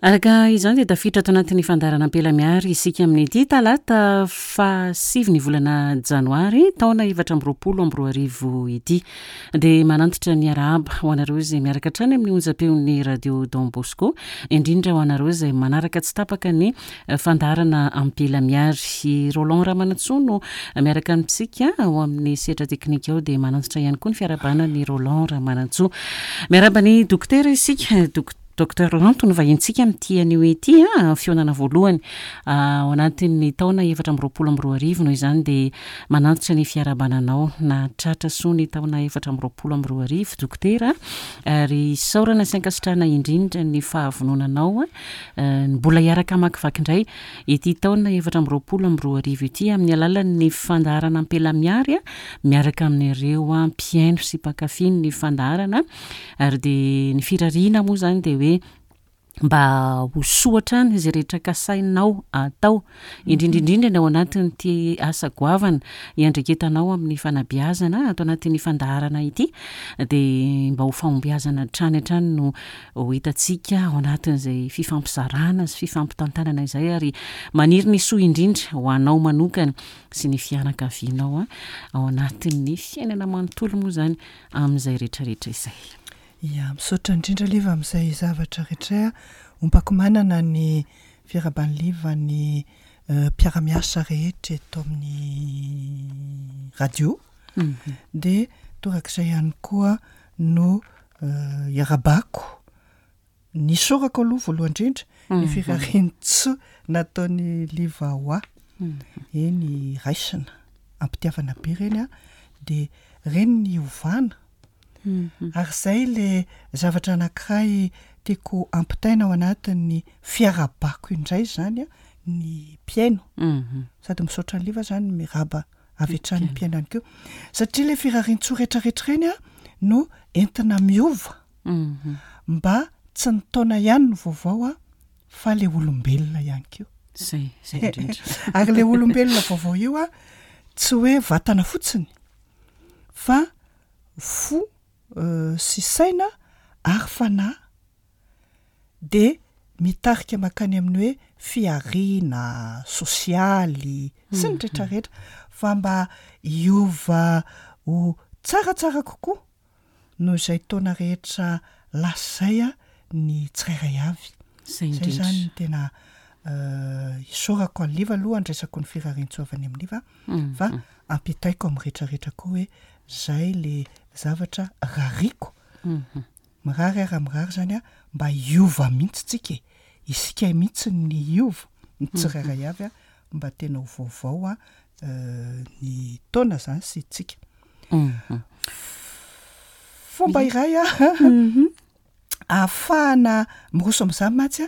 Araka izany dia tafiditra ato anatin'ny fandaharana Ampela Miary isika amin'ity talata fahasivy ny volana janoary taona 2024 ity. Dia manantitra ny arahaba ho anareo izay miaraka hatrany amin'ny onjam-peon'ny Radio Don Bosco, indrindra ho anareo izay manaraka tsy tapaka ny fandaharana Ampela Miary. I Roland Ramanantsoa no miaraka amintsika ao amin'ny sehatra teknika ao dia manantitra ihany koa ny fiarahabana an'i Roland Ramanantsoa. Miarahaba ny dokotera isika, Docteur Lanto no vahintsika amin'ity anio ity, fihaonana voalohany ao anatin'ny taona 2024 noho izany dia manantitra ny fiarahabana anao nahatratra soa ny taona 2024 Dokotera ary isaorana sy ankasitrahana indrindra ny fahavononanao mbola hiaraka hamakivaky indray ity taona 2024 ity amin'ny alalan'ny fandaharana Ampela Miary miaraka amin'ireo mpihaino sy mpankafy ny fandaharana. Ary dia ny firariana moa izany dia hoe mba ho soa hatrany izay rehetra kasainao atao, indrindra indrindra ny ao anatin'ity asa goavana iandraiketanao amin'ny fanabeazana ato anatin'ny fandaharana ity, dia mba ho fahombiazana hatrany hatrany no ho hitantsika ao anatin'izay fifampizarana sy fifampitantanana izay ary maniry ny soa indrindra ho anao manokana sy ny fianakavianao ao anatin'ny fiainana manontolo moa izany amin'izay rehetra rehetra izay. Ya, misaotra indrindra Liva amin'izay zavatra rehetra a. Ompako manana ny fiarahaban'i Liva ny mpiara-miasa rehetra eto amin'ny radio. Dia torak'izay ihany koa no iarahabako Nisaorako aloha voalohany indrindra ny firarian-tsoa nataon'i Liva ho ahy. Eny raisina am-pitiavana be ireny an, dia ireny ny ovana. Ary izay ilay zavatra anankiray tiako ampitaina ao anatin'ny fiarahabako indray izany an, ny mpihaino. Sady misaotra an'i Liva izany miarahaba avy hatrany ny mpihaino ihany koa. Satria ilay firarian-tsoa rehetrarehetra ireny an no entina miova. Mba tsy ny taona ihany no vaovao a, fa le olombelona ihany koa. Zay, zay indrindra. Ary le olombelona vaovao io a, tsy hoe vatana fotsiny fa fo sy saina ary fanahy dia mitarika mankany amin'ny hoe fihariana sosialy sy ny retraretra fa mba hiova ho tsaratsara kokoa noho izay taona rehetra lasa izay ny tsirairay avy. Izay Izay izany no tena isaorako an'i Liva aloha andraisako ny firariantsoa avy any amin'i Liva fa ampitaiko amin'ny rehetrarehetra koa hoe izay le zavatra rariko. Mirary aho raha mirary izany aho mba hiova mihitsy tsika e! Isika mihitsy ny hiova, ny tsirairay avy mba tena ho vaovao ny taona izany sy tsika. Fomba iray ahafahana miroso amin'izany mantsy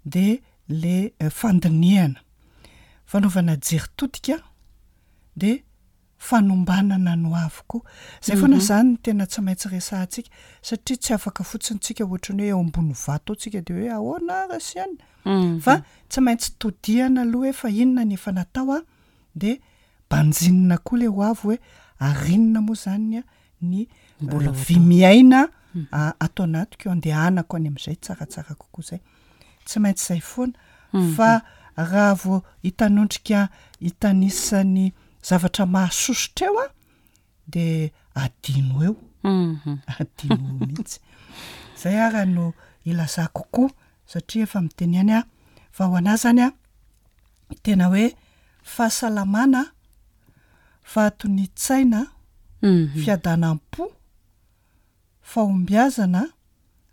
dia le fandinihana, fanaovana jery todika dia fanombanana ny ho avy koa. Izay foana izany no tena tsy maintsy resahantsika satria tsy afaka fotsiny tsika ohatran'ny hoe eo ambony vato eo tsika dia hoe ahoana ary asiana fa tsy maintsy todihana aloha hoe fa inona ny efa natao an, dia banjinina koa ilay ho avy hoe ary inona moa izany ny Mbola ho vy atao. miaina ato anatiko andehanako any amin'izay tsaratsara kokoa izay. Tsy maintsy izay foana fa raha vao hitanondrika hitanisa ny zavatra mahasosotra eo an, dia adino eo, adino eo mihitsy. Izay ara no ilazako koa satria efa miteny ihany aho fa ho an'ahy izany an, tena hoe fahasalamana, fahatonian-tsaina, fiadanam-po, fahombiazana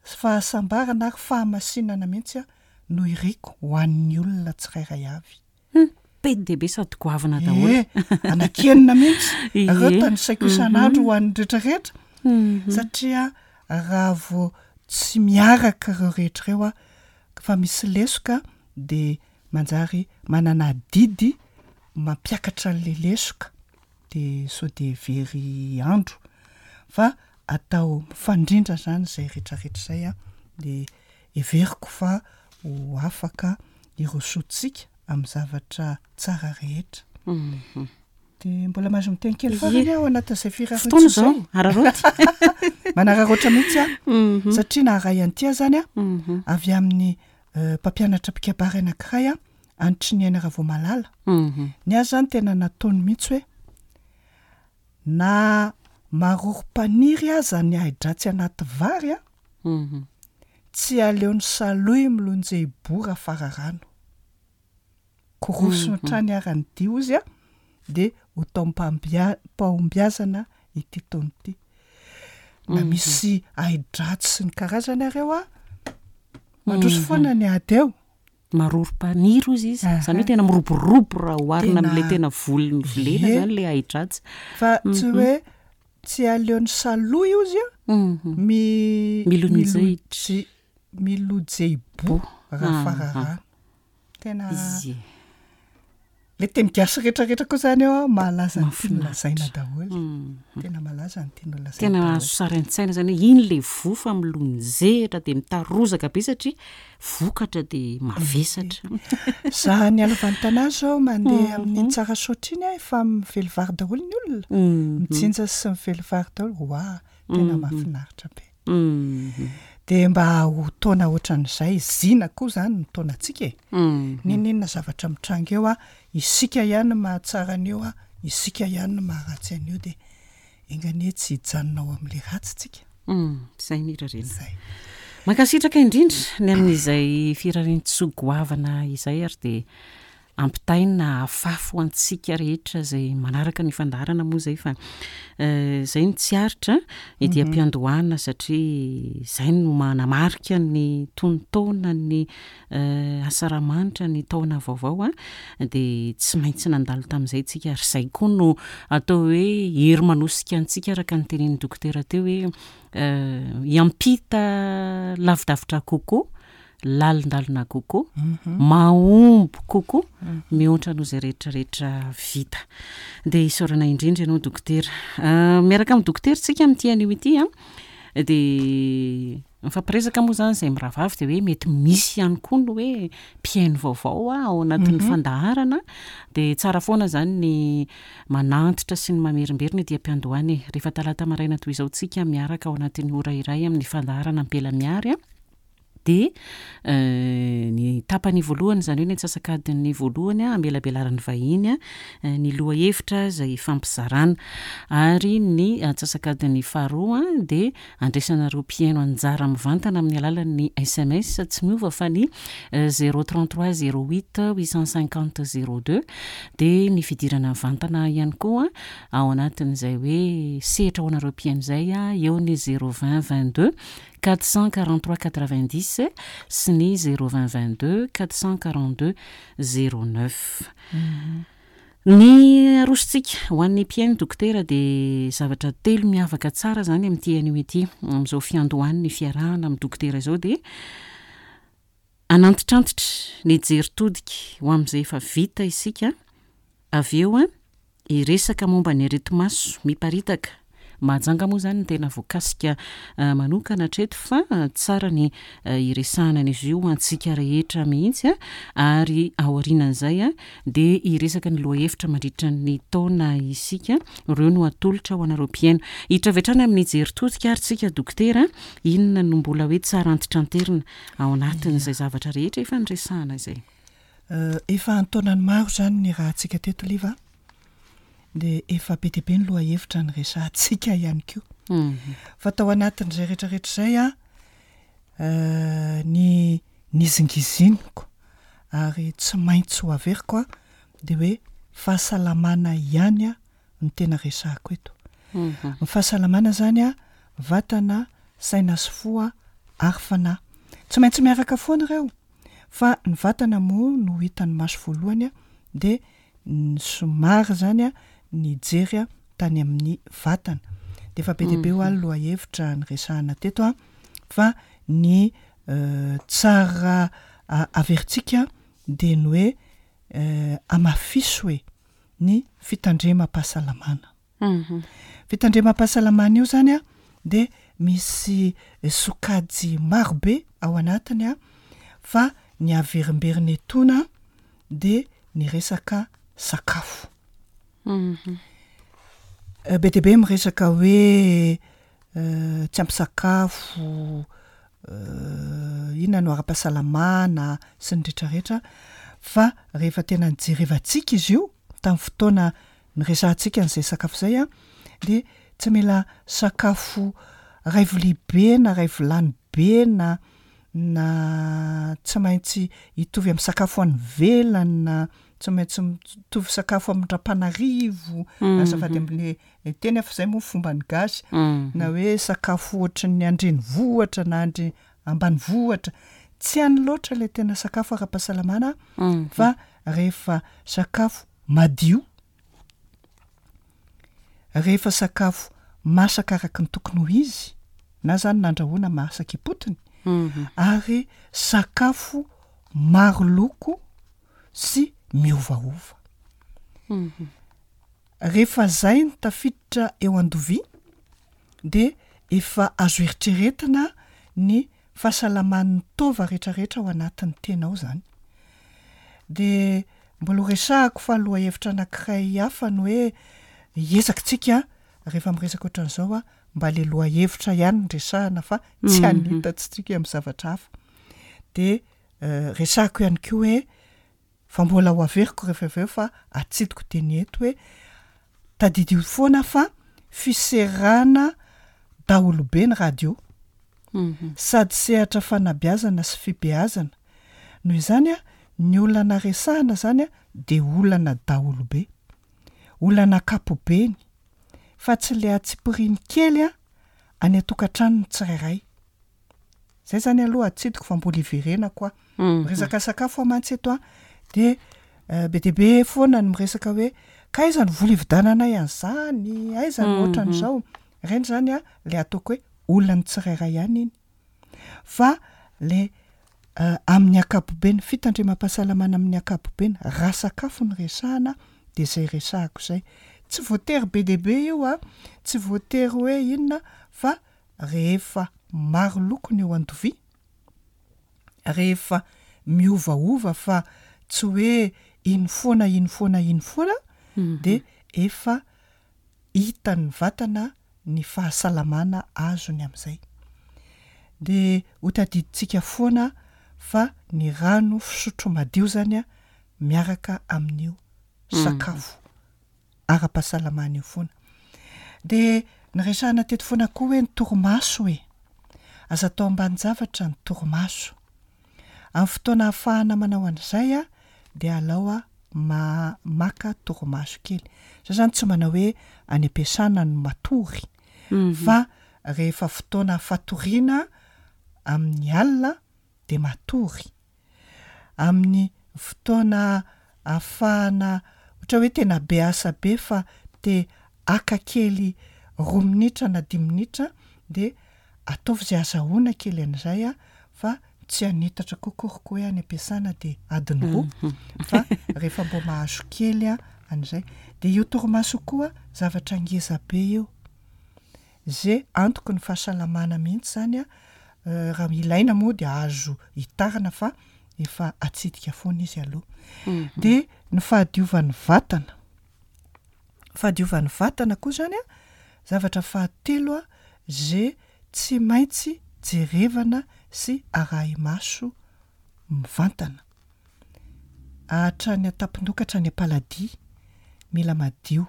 sy fahasambarana ary fahamasinana mihitsy no iriko ho an'ny olona tsirairay avy. Hum, be dia be sady goavana daholo. Ie, anankienina mihitsy. Ireo Ie. tanisaiko isan'andro ho an'ny rehetrarehetra. Satria raha vao tsy miaraka ireo rehetra ireo aho, fa misy lesoka dia manjary manana adidy mampiakatra an'ilay lesoka dia sao dia very andro fa atao mifandrindra zany izay retraretra izay an, dia heveriko fa ho afaka hirosoantsika amin'ny zavatra tsara rehetra. Dia mbola mahazo miteny kely farany aho ao anatin'izay Fotoana firariantsoa izao, izay. araraoty. Manararaotra mihitsy aho satria naharay an'ity aho zany an, avy amin'ny. mpampianatra mpikabary anankiray a, Anitriniaina Ravaomalala. Ny azy zany tena nataony mihitsy hoe na marorom-paniry aza ny ahi-dratsy anaty vary a, tsy aleon'ny salohy milonjehibora fararano. Korosony hatrany ara ny dia hozy a, dia ho taom-pahombiazana ity taona ity. Na misy ahi-dratsy sy ny karazany ary eo a, mandroso foana ny ady eo. Marorom-paniry hozy izy, izany hoe tena miroborobo raha oharina amin'ilay tena voly novolena izany ilay ahi-dratsy. Fa tsy hoe tsy aleon'ny salohy hozy a, mi- Milonjehitra. milojehibo raha fararano. Tena le teny gasy rehetrarehetra koa zany eo mahalaza ny tiany lazaina daholo. Tena malaza ny tiany lazaina. Tena azo sary an-tsaina zany hoe iny le voa fa milonjehitra dia mitarozaka be satria vokatra dia mavesatra. Za any Alavantanà zao mandeha amin'iny Tsarasaotra iny aho efa mively vary daholo ny olona. Mijinja sy mively vary daholo. Oa, tena mahafinaritra be. Dia mba ho taona ohatran'izay, zina koa izany ny taonantsika e! N'inon'inona zavatra mitranga eo, isika ihany no mahatsara an'io, isika ihany no maharatsy an'io dia enga anie tsy hijanona ao amin'ilay ratsy tsika. Izay ny irariana. Izay. Mankasitraka indrindra ny amin'izay firarian-tsoa goavana izay ary dia ampitaina hafafy ho antsika rehetra izay manaraka ny fandaharana moa izay fa izay no tsy aritra ety am-piandohana satria izay no manamarika ny tonon-taona ny asaramanitra ny taona vaovao a dia tsy maintsy nandalo tamin'izay tsika ary izay koa no atao hoe hery manosika antsika araka ny tenenin'ny dokotera teo hoe hiampita lavidavitra kokoa lalindalina kokoa, mahomby kokoa mihoatra noho izay rehetra rehetra vita. Dia isaorana indrindra ianao dokotera. Miaraka amin'ny dokotera tsika amin'ity anio ity an, dia mifampiresaka moa izany izay mirahavavy dia hoe mety misy ihany koa ny hoe mpihaino vaovao ao anatin'ny fandaharana, dia tsara foana izany ny manantitra sy ny mamerimberina ety am-piandohana e. Rehefa talata maraina toy izao tsika miaraka ao anatin'ny ora iray amin'ny fandaharana Ampela Miary an. Dia ny tapany voalohany, izany hoe ny antsasak'adiny voalohany hamelabelaran'ny vahiny ny lohahevitra izay hifampizarana. Ary ny antsasak'adiny faharoa dia andraisanareo mpihaino anjara mivantana amin'ny alalan'ny sms tsy miova fa ny zéro trente trois zéro huit huit cent cinquante zéro deux. Dia ny fidirana mivantana ihany koa ao anatin'izay hoe sehatra ho anareo mpihaino izay, eo ny zéro vingt vingt deux 443 90 sy ny 0 20 22 442 09. Ny arosontsika ho an'ny mpihaino dokotera dia zavatra telo miavaka tsara izany amin'ity anio ity, amin'izao fiandohan'ny fiarahana amin'ny dokotera izao dia hanantitrantitra ny jery todika ho amin'izay efa vita isika, avy eo Hiresaka momba ny areti-maso miparitaka. Mahajanga moa izany no tena voakasika manokana hatreto fa tsara ny hiresahana an'izy io ho antsika rehetra mihitsy ary aorianan'izay dia hiresaka ny lohahevitra mandritra ny taona isika. Ireo no atolotra ho anareo mpihaino. Hiditra avy hatrany amin'ny jery todika ary tsika dokotera, inona no mbola hoe tsara antitranterina ao anatin'izay zavatra rehetra efa niresahana izay? Efa an-taonany maro izany niarahantsika teto Liva a! Dia efa be dia be ny lohahevitra niresahantsika ihany koa. Fa tao anatin'izay rehetrarehetra izay an, ny nizingiziniko ary tsy maintsy ho averiko an, dia hoe fahasalamana ihany an no tena resahako eto. Ny fahasalamana izany an, vatana, saina sy fo ary fanahy. Tsy maintsy miaraka foana ireo. Fa ny vatana moa no hitan'ny maso voalohany dia somary izany nijery tany amin'ny vatana. Dia efa be dia be hoa ny lohahevitra niresahana teto fa ny tsara averintsika dia ny hoe amafiso e ny fitandremam-pahasalamana. Fitandremam-pahasalamana io izany dia misy sokajy maro be ao anatiny fa ny averimberina etoana dia ny resaka sakafo. Be dia be miresaka hoe tsy ampy sakafo, inona no ara-pahasalamana sy ny rehetrarehetra fa rehefa tena nijerevantsika izy io tamin'ny fotoana niresahantsika an'izay sakafo izay an, dia tsy mila sakafo ray vilia be na ray vilany be na na tsy maintsy hitovy amin'ny sakafo any ivelany na tsy maintsy mitovy sakafo amin-dRampanarivo, azafady amin'le teny aho fa zay moa fomban'ny gasy, na hoe sakafo ohatran'ny an-drenivohitra na an-dre- ambanivohitra, tsy any loatra le tena sakafo ara-pahasalamana fa rehefa sakafo madio, rehefa sakafo masaka araka ny tokony ho izy, na zany nandrahoana masaka ipotony, ary sakafo maro loko sy miovaova. Rehefa zay no tafiditra eo an-dovia dia efa azo eritreretina ny fahasalaman'ny taova retraretra ao anatin'ny tena ao zany. Dia mbola ho resahako fa lohahevitra anankiray hafa ny hoe hiezaka tsika rehefa miresaka ohatran'izao mba le lohahevitra ihany no resahana fa tsy hanitatsika amin'ny zavatra hafa. Dia resahako ihany koa hoe Fa mbola ho averiko rehefa avy eo fa atsidiko teny eto hoe tadidio foana fa fiserana daholobe ny radio. Sady sehatra fanabeazana sy fibeazana. Noho izany ny olana resahana zany dia olana daholobe. Olana ankapobeny. Fa tsy le antsipiriany kely any an-tokantranon'ny tsirairay. Zay zany aloha atsidiko fa mbola hiverenako aho. Miresaka sakafo aho mantsy eto an, de be dia be foana ny miresaka hoe ka aiza ny vola hividiananay an'izany, aiza ny ohatran'izao. Ireny zany an le ataoko hoe olan'ny tsirairay ihany iny. Fa le amin'ny ankapobeny, fitandremam-pahasalamana amin'ny ankapobeny, raha sakafo no resahana de zay resahako zay. Tsy voatery be dia be io an, tsy voatery hoe inona fa rehefa maro loko ny eo an-dovia, rehefa miovaova fa tsy hoe iny foana iny foana iny foana dia efa hitan'ny vatana ny fahasalamana azony amin'izay. Dia ho tadidintsika foana fa ny rano fisotro madio izany miaraka amin'io sakafo ara-pahasalamana io foana. Dia niresahana teto foana koa hoe ny torimaso e! Aza atao ambanin-javatra ny torimaso. Amin'ny fotoana ahafahana manao an'izay dia alao ma- maka torimaso kely. Za zany tsy manao hoe any am-piasana no matory fa rehefa fotoana fatoriana amin'ny alina dia matory. amin'ny fotoana ahafahana ohatra hoe tena be asa be fa te haka kely roa minitra na dimy minitra dia ataovy izay azahoana kely an'izay a fa tsy hanitatra koa akory hoe any am-piasana dia adiny roa fa rehefa mbo mahazo kely a an'izay dia io torimaso io koa zavatra ngeza be io. Ze antoky ny fahasalamana mihitsy zany a, raha ilaina moa de azo hitarina fa efa atsidika foana izy aloha. De ny fahadiovan'ny vatana, fahadiovan'ny vatana koa zany a, zavatra fahatelo a ze tsy maintsy jerevana sy arahi-maso mivantana. Hatrany an-tampon-doha ka hatrany am-paladia, mila madio.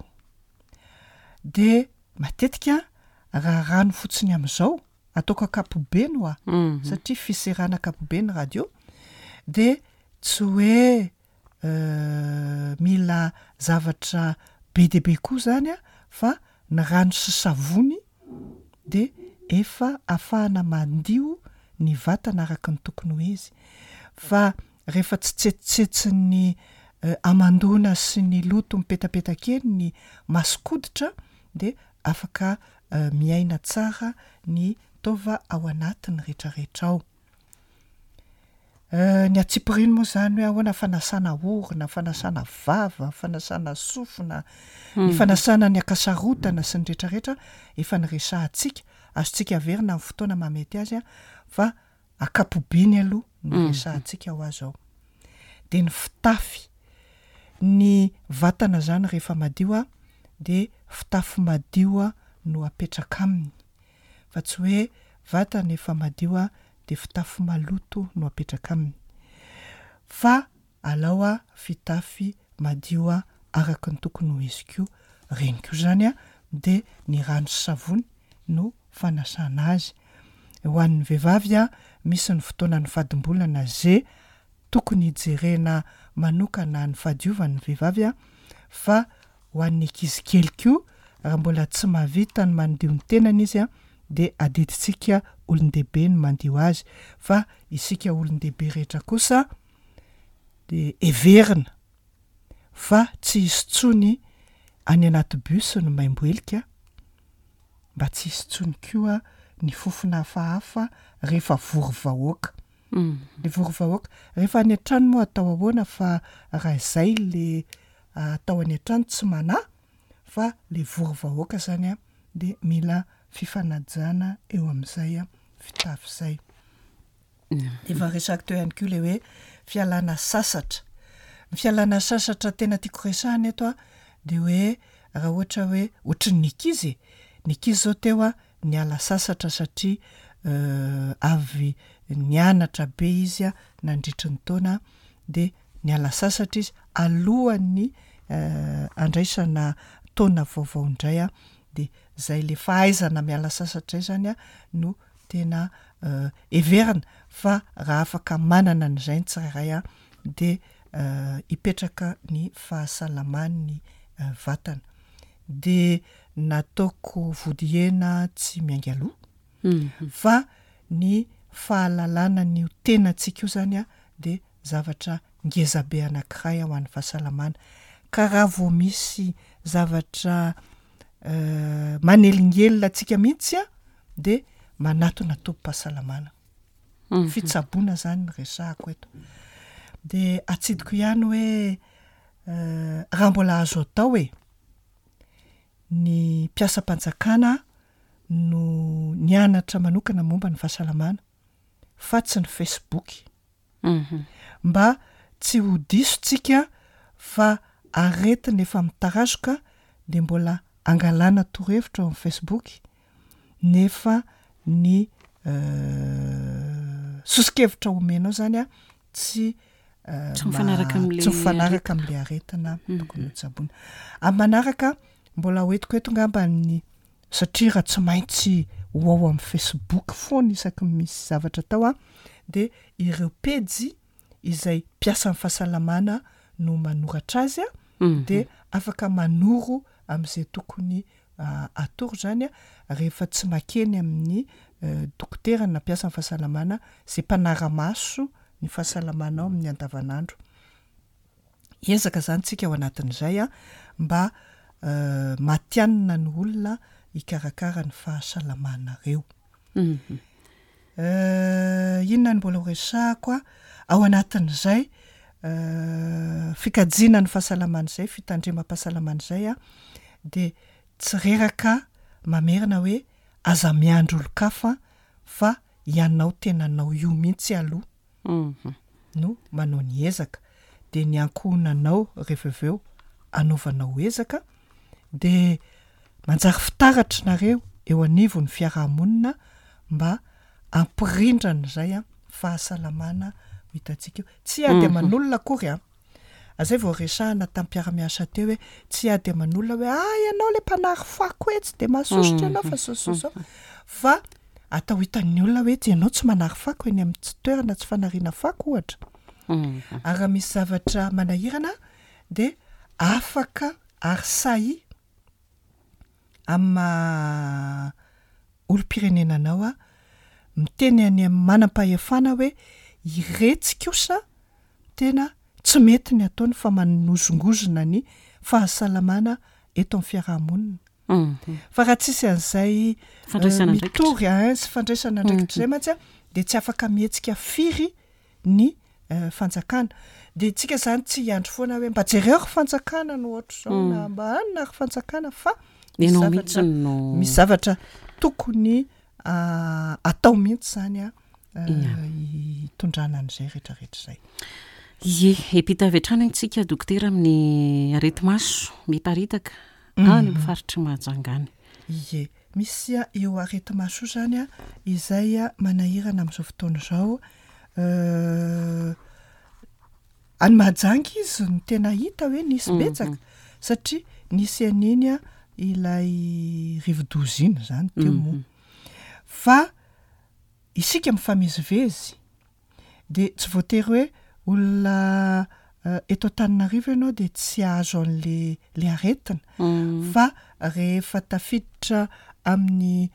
De Matetika raha rano fotsiny amin'izao, ataoko ankapobeny hoa, satria fiserana ankapobeny ny radio, dia tsy hoe mila zavatra be dia be koa izany an, fa ny rano sy savony dia efa ahafahana mandio ny vatana araka ny tokony ho izy. Fa Rehefa tsy tsetsitsetsin'ny hamandoana sy ny loto mipetapetaka eny ny mason-koditra dia afaka miaina tsara ny taova ao anatiny retraretra ao. Ny antsipiriany moa izany hoe ahoana fanasana orona, fanasana vava, fanasana sofina, ny fanasana ny ankasarotana sy ny retraretra efa niresahantsika, azontsika averina amin'ny fotoana mahamety azy fa Ankapobeny aloha no resahantsika hoa zao. Dia ny fitafy. Ny vatana zany rehefa madio a, dia fitafy madio no apetraka aminy. Fa tsy hoe vatana efa madio a, dia fitafy maloto no apetraka aminy. Fa alao fitafy madio araka ny tokony ho izy koa. Ireny koa izany dia ny rano sy savony no fanasana azy. Ho an'ny vehivavy, misy ny fotoanan'ny fadimbolana ze tokony hijerena manokana ny fahadiovan'ny vehivavy fa ho an'ny ankizy kely koa raha mbola tsy mahavita ny mandio ny tenany izy dia adidintsika olon-dehibe ny mandio azy fa isika olon-dehibe rehetra kosa dia heverina fa tsy hisy intsony any anaty bus ny maimbo helika mba tsy hisy intsony koa ny fofona hafahafa rehefa vory vahoaka. Le vory vahoaka. Rehefa any an-trano moa atao ahoana fa raha izay le atao any an-trano tsy manahy fa le vory vahoaka zany an de mila fifanajana eo amin'izay fitafy izay. Efa resako teo ihany koa le hoe fialana sasatra. Ny fialana sasatra tena tiako resahana eto an de hoe raha ohatra hoe ohatran'ny ankizy e, ny ankizy zao teo an niala sasatra satria avy nianatra be izy nandritry ny taona dia niala sasatra izy alohan'ny handraisana taona vaovao indray dia zay le fahaizana miala sasatra zay zany no tena heverina fa raha afaka manana an'izay ny tsirairay dia hipetraka ny fahasalaman'ny vatana. Dia nataoko vodihena tsy miainga aloha fa ny fahalalana an'io tenantsika io zany dia zavatra ngeza be anankiray ho an'ny fahasalamana ka raha vao misy zavatra manelingelina antsika mihitsy dia manatona tobim-pahasalamana. Fitsaboana zany no resahako eto. Dia atsidiko ihany hoe raha mbola azo atao e, ny mpiasam-panjakana no nianatra manokana momba ny fahasalamana fa tsy ny facebook. Mba tsy ho diso tsika fa aretina efa mitarazoka dia mbola angalana torohevitra ao amin'ny facebook nefa ny soso-kevitra omenao zany tsy Tsy mifanaraka amin'ilay tsy mifanaraka amin'ilay aretina tokony hotsaboina. Amin'ny manaraka mbola hoentiko eto ngamba ny satria raha tsy maintsy ho ao amin'ny facebook foana isaky ny misy zavatra atao an, dia ireo pejy izay mpiasan'ny fahasalamana no manoratra azy an, dia afaka manoro amin'izay tokony atoro izany rehefa tsy makeny amin'ny dokotera na mpiasan'ny fahasalamana izay mpanara-maso ny fahasalamanao amin'ny andavanandro. Hiezaka izany tsika ao anatin'izay mba matihanina ny olona hikarakara ny fahasalamanareo. Inona no mbola ho resahako ao anatin'izay fikajiana ny fahasalamana izay, fitandremam-pahasalamana izay dia tsy reraka mamerina hoe aza miandry olon-kafa fa ianao tenanao io mihitsy aloha no manao ny ezaka dia ny ankohonanao rehefa avy eo anaovanao ezaka dia manjary fitaratra nareo eo anivon'ny fiarahamonina mba hampirindra an'izay fahasalamana ho hitantsika eo. Tsy hiady aman'olona akory an! Zay vao resahana tamin'ny mpiara-miasa teo hoe tsy hiady aman'olona hoe ah ianao le mpanary fako etsy de mahasosotra ianao fa zao zao zao fa atao hitan'ny olona hoe tsy ianao tsy manary fako eny amin'ny tsy toerana tsy fanariana fako ohatra. Ary raha misy zavatra manahirana dia afaka ary sahy amin'ny maha olom-pirenena anao aho, miteny any amin'ny manam-pahefana hoe iretsy kosa tena tsy mety ny ataony fa manozongozona ny fahasalamana eto amin'ny fiaraha-monina. Fa raha tsisy an'izay mitory sy fandraisana andraikitra izay mantsy dia tsy afaka mihetsika firy ny fanjakana. Dia tsika zany tsy hiandry foana hoe mba jereo ry fanjakana no ohatr'izao na mba anona ry fanjakana fa misy Ianao mihitsy zavatra no misy zavatra tokony atao mihitsy zany a hitondrana an'izay rehetrarehetra izay. Ie, hiampita avy hatrany antsika dokotera amin'ny areti-maso miparitaka any amin'ny faritr'i Mahajanga any. Ie. Misy io areti-maso io izany izay manahirana amin'izao fotoana izao. Any Mahajanga izy no tena hita hoe nisy betsaka satria nisy an'iny ilay rivodoza iny izany teo moa. Fa isika mifamezivezy dia tsy voatery hoe olona eto Antananarivo ianao dia tsy hahazo an'le le aretina fa rehefa tafiditra amin'ny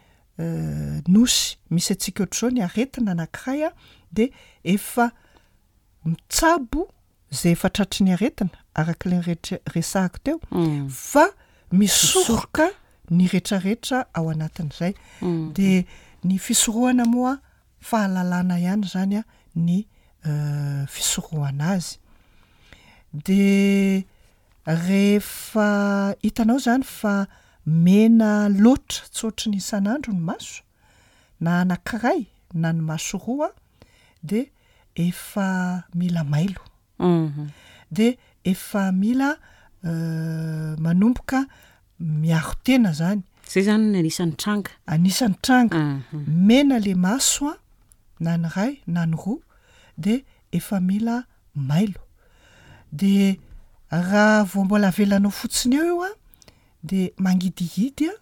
nosy misy antsika ohatr'izao ny aretina anankiray a dia efa mitsabo izay efa tratry ny aretina araka ilay rehetra resahako teo fa misoroka ny retraretra ao anatin'izay dia ny fisorohana moa fahalalana ihany izany ny fisorohana azy. Dia rehefa hitanao izany fa mena loatra tsy ohatry ny isan'andro ny maso, na anankiray na ny maso roa dia efa mila mailo. Dia efa mila manomboka miaro tena zany. Zay zany ny anisan'ny tranga. Anisan'ny tranga. Mena le maso an, na ny iray na ny roa dia efa mila mailo. Dia raha vao mbola avelanao fotsiny eo io an, dia mangidihidy an,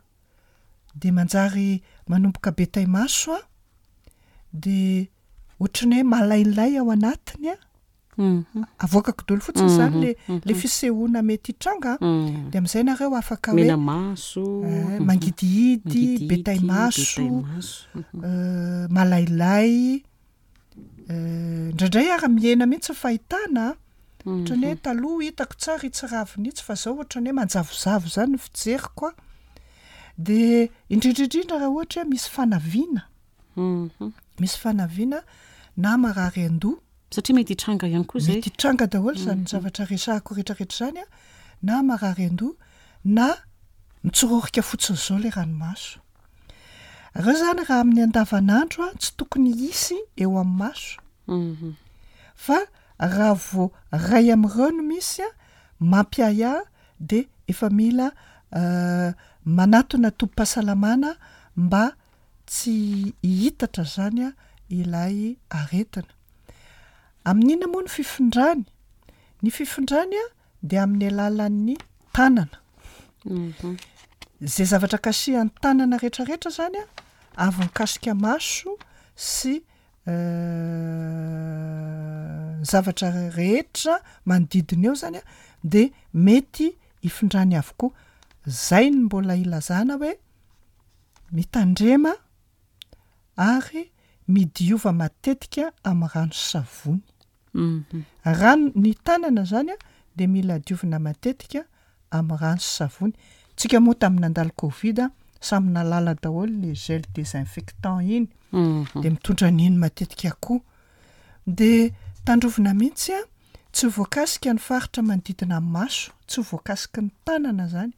dia manjary manomboka be taimaso an, dia ohatran'ny hoe malailay ao anatiny an, Avoakako daholo fotsiny izany le le fisehoana mety hitranga an, dia amin'izay nareo afaka hoe Mena maso, mangidihidy, be taimaso, malailay, indraindray ary mihena mihitsy ny fahitana an, ohatran'ny hoe taloha hitako tsara itsy ravina itsy fa zao ohatran'ny hoe manjavozavo izany ny fijeriko an, dia indrindra indrindra raha ohatra hoe misy fanaviana, misy fanaviana na marary an-doha. Satria mety hitranga ihany koa izay. Mety hitranga daholo izany zavatra resahako rehetrarehetra izany an, na marary an-doha, na mitsororika fotsiny izao ilay ranomaso. Ireo izany raha amin'ny andavanandro an, tsy tokony hisy eo amin'ny maso. Fa raha vao iray amin'ireo no misy an, mampiahiahy dia efa mila manatona tobim-pahasalamana mba tsy hihitatra izany ilay aretina. Amin'inona moa ny fifindrany? Ny fifindrany dia amin'ny alalan'ny tanana. Izay zavatra kasihan'ny tanana rehetrarehetra izany avy mikasika maso sy ny zavatra rehetra manodidina eo izany dia mety hifindrany avokoa. Izay no mbola ilazana hoe Mitandrema ary midiova matetika amin'ny rano sy savony. Rano, ny tanana zany dia mila diovina matetika amin'ny rano sy savony. Tsika moa tamin'ny nandalo covid samy nahalala daholo le gel désinfectant iny dia mitondra an'iny matetika koa. Dia tandrovina mihitsy tsy ho voakasika ny faritra manodidina ny maso, tsy ho voakasiky ny tanana zany.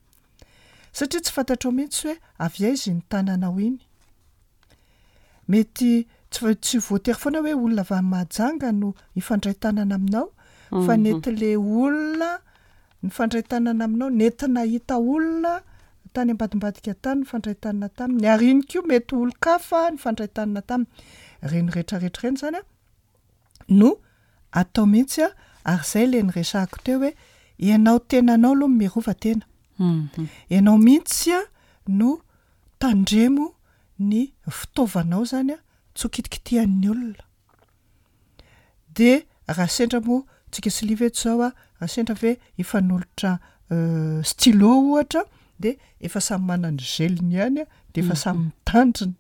Satria tsy fantatrao mihitsy hoe avy aiza iny tananao iny. Mety tsy tsy voatery foana hoe olona avy any Mahajanga no hifandray tanana aminao fa nety le olona nifandray tanana aminao nety nahita olona tany ambadimbadika tany nifandray tanana taminy ary iny koa mety olon-kafa nifandray tanana taminy. Ireny rehetrarehetra ireny izany an no atao mihitsy a, ary zay le niresahako teo hoe ianao tenanao aloha no mirova tena, ianao mihitsy a no tandremo ny fitaovanao zany a tsy ho kitikitihan'ny olona, de raha sendra moa tsika sy Liva eto zao a, raha sendra ve hifanolotra stylo ohatra de efa samy manana ny gel-ny ihany a, de efa samy mitandrina,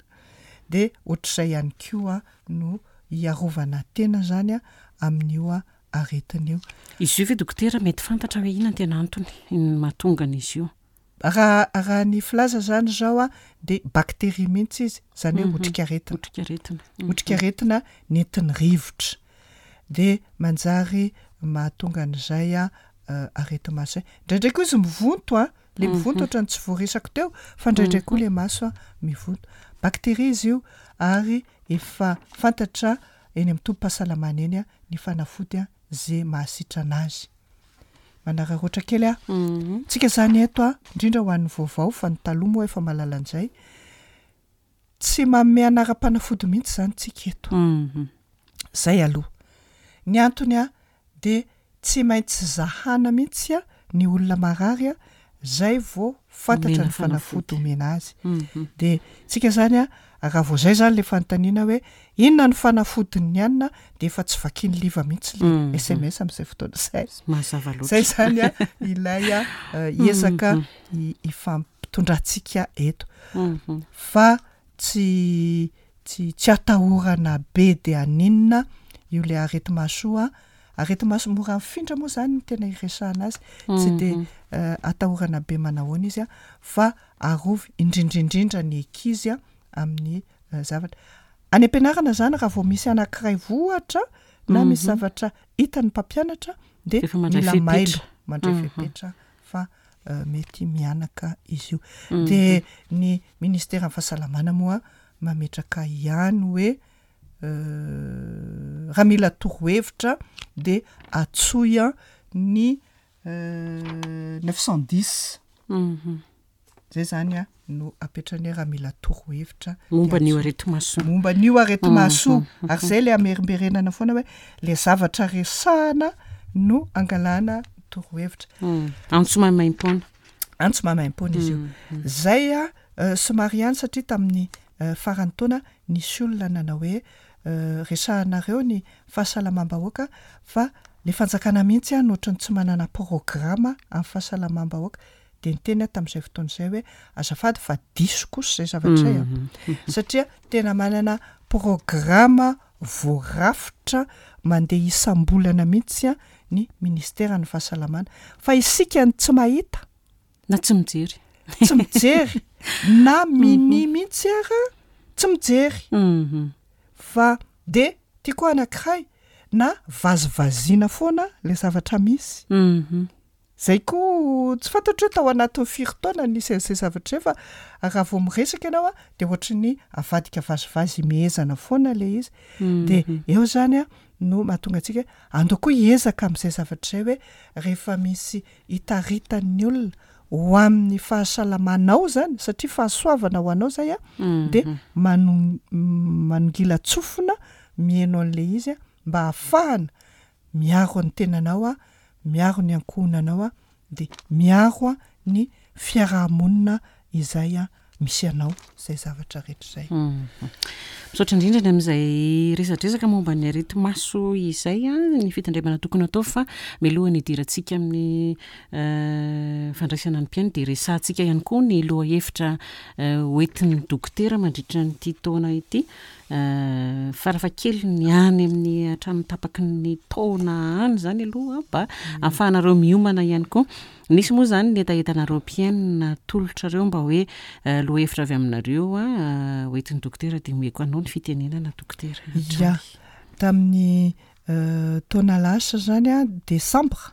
de ohatr'izay ihany koa no hiarovana tena zany amin'io aretina io. Izy io ve dokotera mety fantatra hoe inona no tena antony mahatonga an'izy io? Raha raha ny filaza zany zao a de bactérie mihitsy izy, zany hoe otrikaretina. Otrikaretina. Otrikaretina nentin'ny rivotra. De manjary mahatonga an'izay areti-maso zay. Indraindray koa izy mivonto a, le mivonto ohatran'ny tsy voaresako teo fa indraindray koa le maso mivonto. Bactérie izy io ary efa fantatra eny amin'ny tobim-pahasalamana eny ny fanafody ze mahasitrana azy. Manararaotra kely aho. Tsika zany eto a, indrindra ho an'ny vaovao fa ny taloha moa efa mahalala an'izay. Tsy manome anaram-panafody mihitsy izany tsika eto. Zay aloha. Ny antony a, dia tsy maintsy zahana mihitsy ny olona marary zay vao fantatra ny fanafody omena azy. Dia tsika zany a, raha vao zay zany le fanontaniana hoe inona ny fanafodin'ny anona dia efa tsy vakian'ny liva mihitsy le sms amin'izay fotoana izay. Mazava loatra. Zay zany a ilay ezaka ifampitondrantsika eto. Fa tsy tsy tsy atahorana be de haninona io le areti-maso io an, areti-maso mora mifindra moa zany no tena iresahana azy, tsy de atahorana be manahoana izy an, fa arovy indrindra indrindra ny ankizy an amin'ny zavatra. Any am-pianarana zany raha vao misy anankiray voa ohatra na misy zavatra hitan'ny mpampianatra de mila mailo mandray fepetra fa mety mihanaka izy io. De ny ministeran'ny fahasalamana moa mametraka ihany hoe raha mila torohevitra de antsoy ny 910. Zay zany a no apetrany hoe raha mila torohevitra momba an'io areti-maso io. Momba an'io areti-maso io. Ary zay le amerimberenana foana hoe le zavatra resahana no angalana torohevitra. Antso maimaimpoana. Antso maimaimpoana izy io. Zay a somary ihany satria tamin'ny faran'ny taona nisy olona nanao hoe resahanareo ny fahasalamam-bahoaka fa le fanjakana mihitsy no ohatran'ny tsy manana programa amin'ny fahasalamam-bahoaka. Dia niteny aho tamin'izay fotoana izay hoe azafady fa diso kosa izay zavatra izay an! Satria tena manana programa voarafitra mandeha isam-bolana mihitsy ny ministeran'ny fahasalamana. Fa isika no tsy mahita. Na tsy mijery. Tsy mijery, na minia mihitsy ara tsy mijery. Fa dia tiako anankiray na vazivaziana foana ilay zavatra misy. Zay koa tsy fantatro hoe tao anatin'ny firy taona no nisy an'izay zavatra izay fa raha vao miresaka ianao a dia ohatry ny avadika vazivazy imehezana foana ilay izy. Dia eo izany a no mahatonga antsika hoe andao koa hiezaka amin'izay zavatra izay hoe rehefa misy hitaritan'ny olona ho amin'ny fahasalamanao izany satria fahasoavana ho anao izay a dia mano- manongilan-tsofina mihaino an'ilay izy a mba hahafahana miaro ny tenanao aho, miaro ny ankohonanao aho, dia miaro ny fiaraha-monina izay misy anao, izay zavatra rehetra izay. Misaotra indrindra ny amin'izay resadresaka momba ny areti-maso izay, ny fitandremana tokony atao fa mialohan'ny hidirantsika amin'ny fandraisana ny mpihaino dia resahantsika ihany koa ny lohahevitra hoentin'ny dokotera mandritra an'ity taona ity. Farafahakeliny any amin'ny hatramin'ny tapaky ny taona any izany aloha mba ahafahanareo miomana ihany koa. Nisy moa izany ny hetahetanareo mpihaino natolotrareo mba hoe lohahevitra avy aminareo hoentin'ny dokotera dia omeko anao ny fitenenana dokotera. Ya, tamin'ny taona lasa izany an, desambra,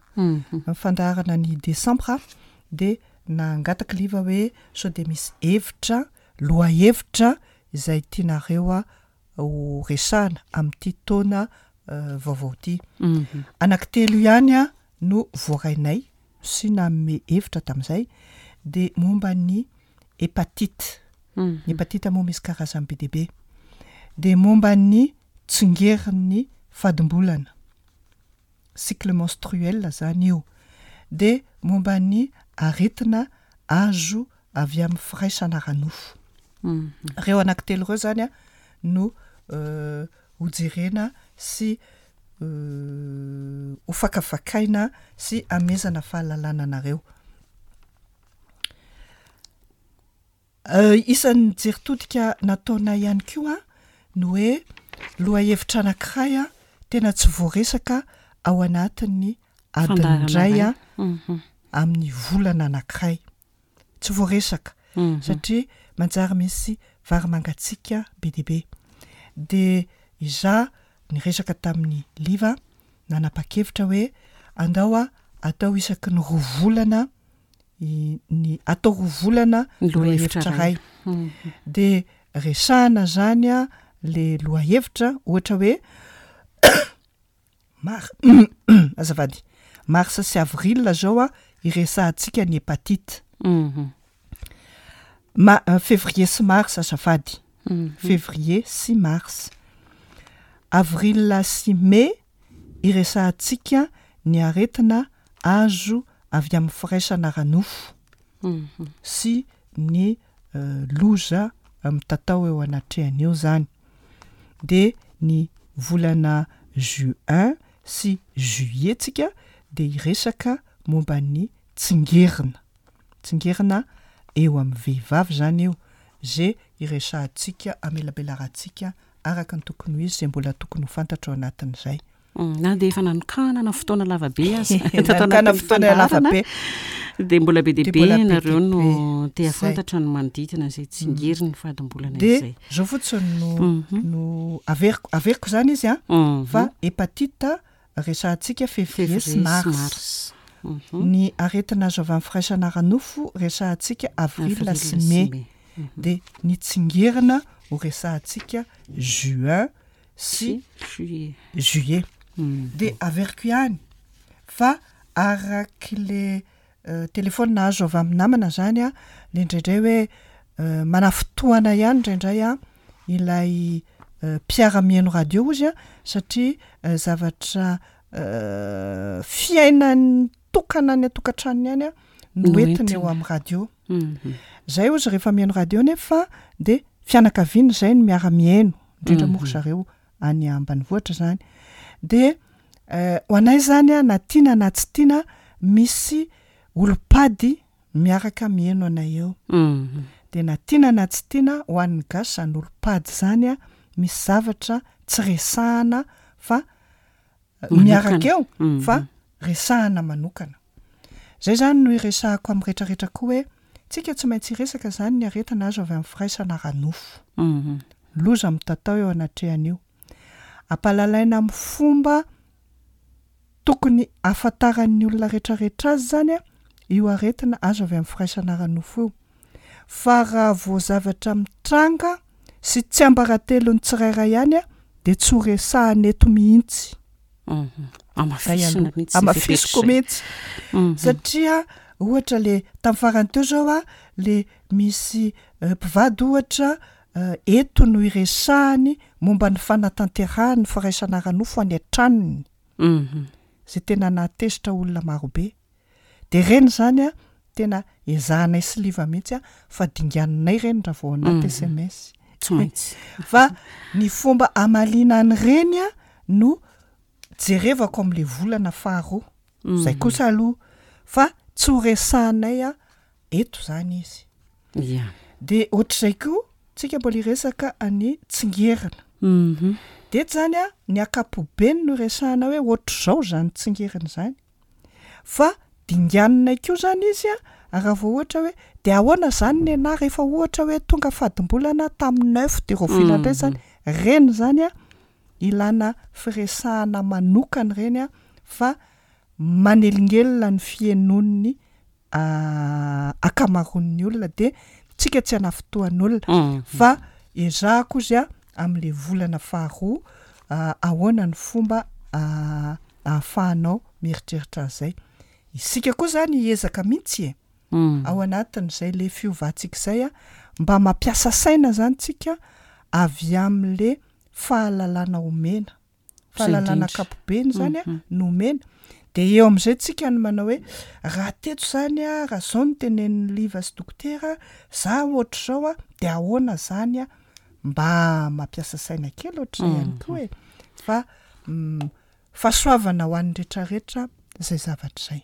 fandaharana ny desambra dia nangataka Liva hoe sao dia misy hevitra, lohahevitra izay tianareo ho resahana amin'ity taona vaovao ity. Anankitelo ihany no voarainay sy nanome hevitra tamin'izay dia momba ny hepatite. Ny hepatite moa misy karazany be dia be. Dia momba ny tsingerin'ny fadimbolana. cycle menstruel zany io, dia momba ny aretina azo avy amin'ny firaisana ara-nofo. Ireo anankitelo ireo zany a no hojerena sy hofakafakaina sy hamezana fahalalana anareo. Isan'ny jery todika nataonay ihany koa ny hoe lohahevitra anankiray tena tsy voaresaka ao anatin'ny adiny iray amin'ny volana anankiray. Tsy voaresaka satria manjary misy vary mangatsiaka be dia be. Dia izaho niresaka tamin'i Liva nanapa-kevitra hoe andao atao isaky ny roa volana ny atao roa volana Ny lohahevitra lohahevitra iray. iray. Dia resahana zany a le lohahevitra ohatra hoe mar- azafady, mars sy avril zao a iresahantsika ny hepatite. Ma- février sy mars azafady. Février sy mars. Avril sy mai iresahantsika ny aretina azo avy amin'ny firaisana ara-nofo sy ny loza mitatao eo anatrehany eo izany. Dia ny volana juin sy juillet tsika dia hiresaka momba ny tsingerina. Tsingerina eo amin'ny vehivavy izany io, ze iresahantsika, amelabelarantsika araka ny tokony ho izy, ze mbola tokony ho fantatra ao anatin'izay. Na dia efa nanokanana fotoana lava be aza tato anatin'ny fandaharana dia mbola be dia be ianareo no te hahafantatra ny manodidina izay tsingerin'ny fadimbolana izay. Dia izao fotsiny no no averiko, averiko izany izy an, fa hepatite resahantsika février sy mars. Ny aretina azo avy amin'ny firaisana ara-nofo resahantsika avril sy mai. Dia ny tsingerina ho resahantsika juin sy juillet. Dia averiko ihany fa arak'le Telefaonina azo avy amin'ny namana zany a, le indraindray hoe manafintohana ihany indraindray a ilay mpiara-mihaino radio ozy a satria zavatra fiainany tokana any an-tokantranony any a no entiny eo amin'ny radio. Zay ozy rehefa mihaino radio nefa de fianakaviana zay no miara-mihaino, indrindra moa ry zareo any ambanivohitra zany de ho anay zany a na tiana na tsy tiana misy olom-pady miaraka miheno anay eo de na tiana na tsy tiana ho an'ny gasy zany olom-pady zany a misy zavatra tsy resahana fa miaraka eo fa resahana manokana. Zay zany no iresahako amin'ny retraretra koa hoe tsika tsy maintsy hiresaka zany ny aretina azo avy amin'ny firaisana ara-nofo. Loza mitatao eo anatrehan'io. Ampahalalaina amin'ny fomba tokony ahafantaran'ny olona retraretra azy zany io aretina azo avy amin'ny firaisana ara-nofo io. Fa raha vao zavatra mitranga sy tsiambaratelon'ny tsirairay ihany dia tsy ho resahana eto mihitsy. Hamafisina mihitsy. Hamafisiko mihitsy. Satria ohatra le tamin'ny farany teo zao a, le misy mpivady ohatra eto no iresahany momba ny fanatanterahany ny firaisana ara-nofo any an-tranony. Zay tena nahatezitra olona marobe. Dia ireny izany an, tena ezahanay sy Liva mihitsy an, fa dinganinay ireny raha vao anaty sms. Tsy maintsy. Fa ny fomba hamaliana an'ireny an no jerevako amin'ilay volana faharoa. Izay kosa aloha. Fa tsy ho resahanay an eto izany izy. Ia. Dia ohatr'izay koa, tsika mbola hiresaka an'i Tsingerina. Dia eto izany an, ny ankapobeny no resahana hoe ohatr'izao izany Tsingerina izany. Fa dinganinay koa zany izy a, raha vao ohatra hoe de ahoana zany nenah rehefa ohatra hoe tonga fadimbolana tamin'ny neuf de rahoviana indray zany, reny zany a ilana firesahana manokana ireny a fa manelingelina ny fihenon'ny ankamaroan'ny olona de tsika tsy hanafintohan'olona fa ezahako ozy a am'le volana faharoa ahoana ny fomba ahafahanao mieritreritra an'izay. Isika koa izany hiezaka mihitsy e! Ao anatin'izay le fiovantsika izay a, mba mampiasa saina izany tsika avy amin'le fahalalana omena. Fahalalana ankapobeny izany a no omena. De eo amin'izay tsika no manao hoe raha teto izany a, raha izao no tenenin'i Liva sy dokotera, za ohatr'izao a, de ahoana izany a, mba mampiasa saina kely ohatr'izay ihany koa e! Fa Fahasoavana ho an'ny retraretra izay zavatra izay.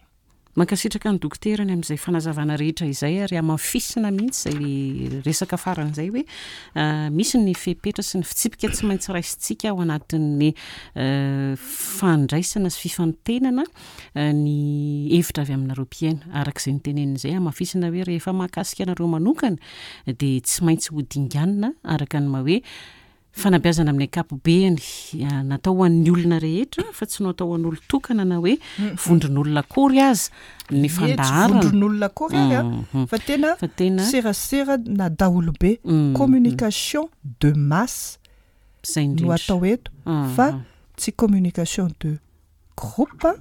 Mankasitraka ny dokotera ny amin'izay fanazavana rehetra izay ary hamafisina mihitsy izay resaka farany izay hoe misy ny fepetra sy ny fitsipika tsy maintsy raisintsika ao anatin'ny fandraisana sy fifantenana ny hevitra avy aminareo mpihaino. Araka izay notenenina izay, hamafisina hoe rehefa mahakasika anareo manokana dia tsy maintsy ho dinganina araka ny maha hoe Fanabeazana amin'ny ankapobeny, natao ho an'ny olona rehetra fa tsy natao ho an'olon-tokana na hoe vondron'olona akory aza ny Ie, tsy fandaharana. vondron'olona akory ary an, fa tena Fa tena serasera na daholobe, communication de masse Izay no indrindra. atao eto fa tsy communication de groupe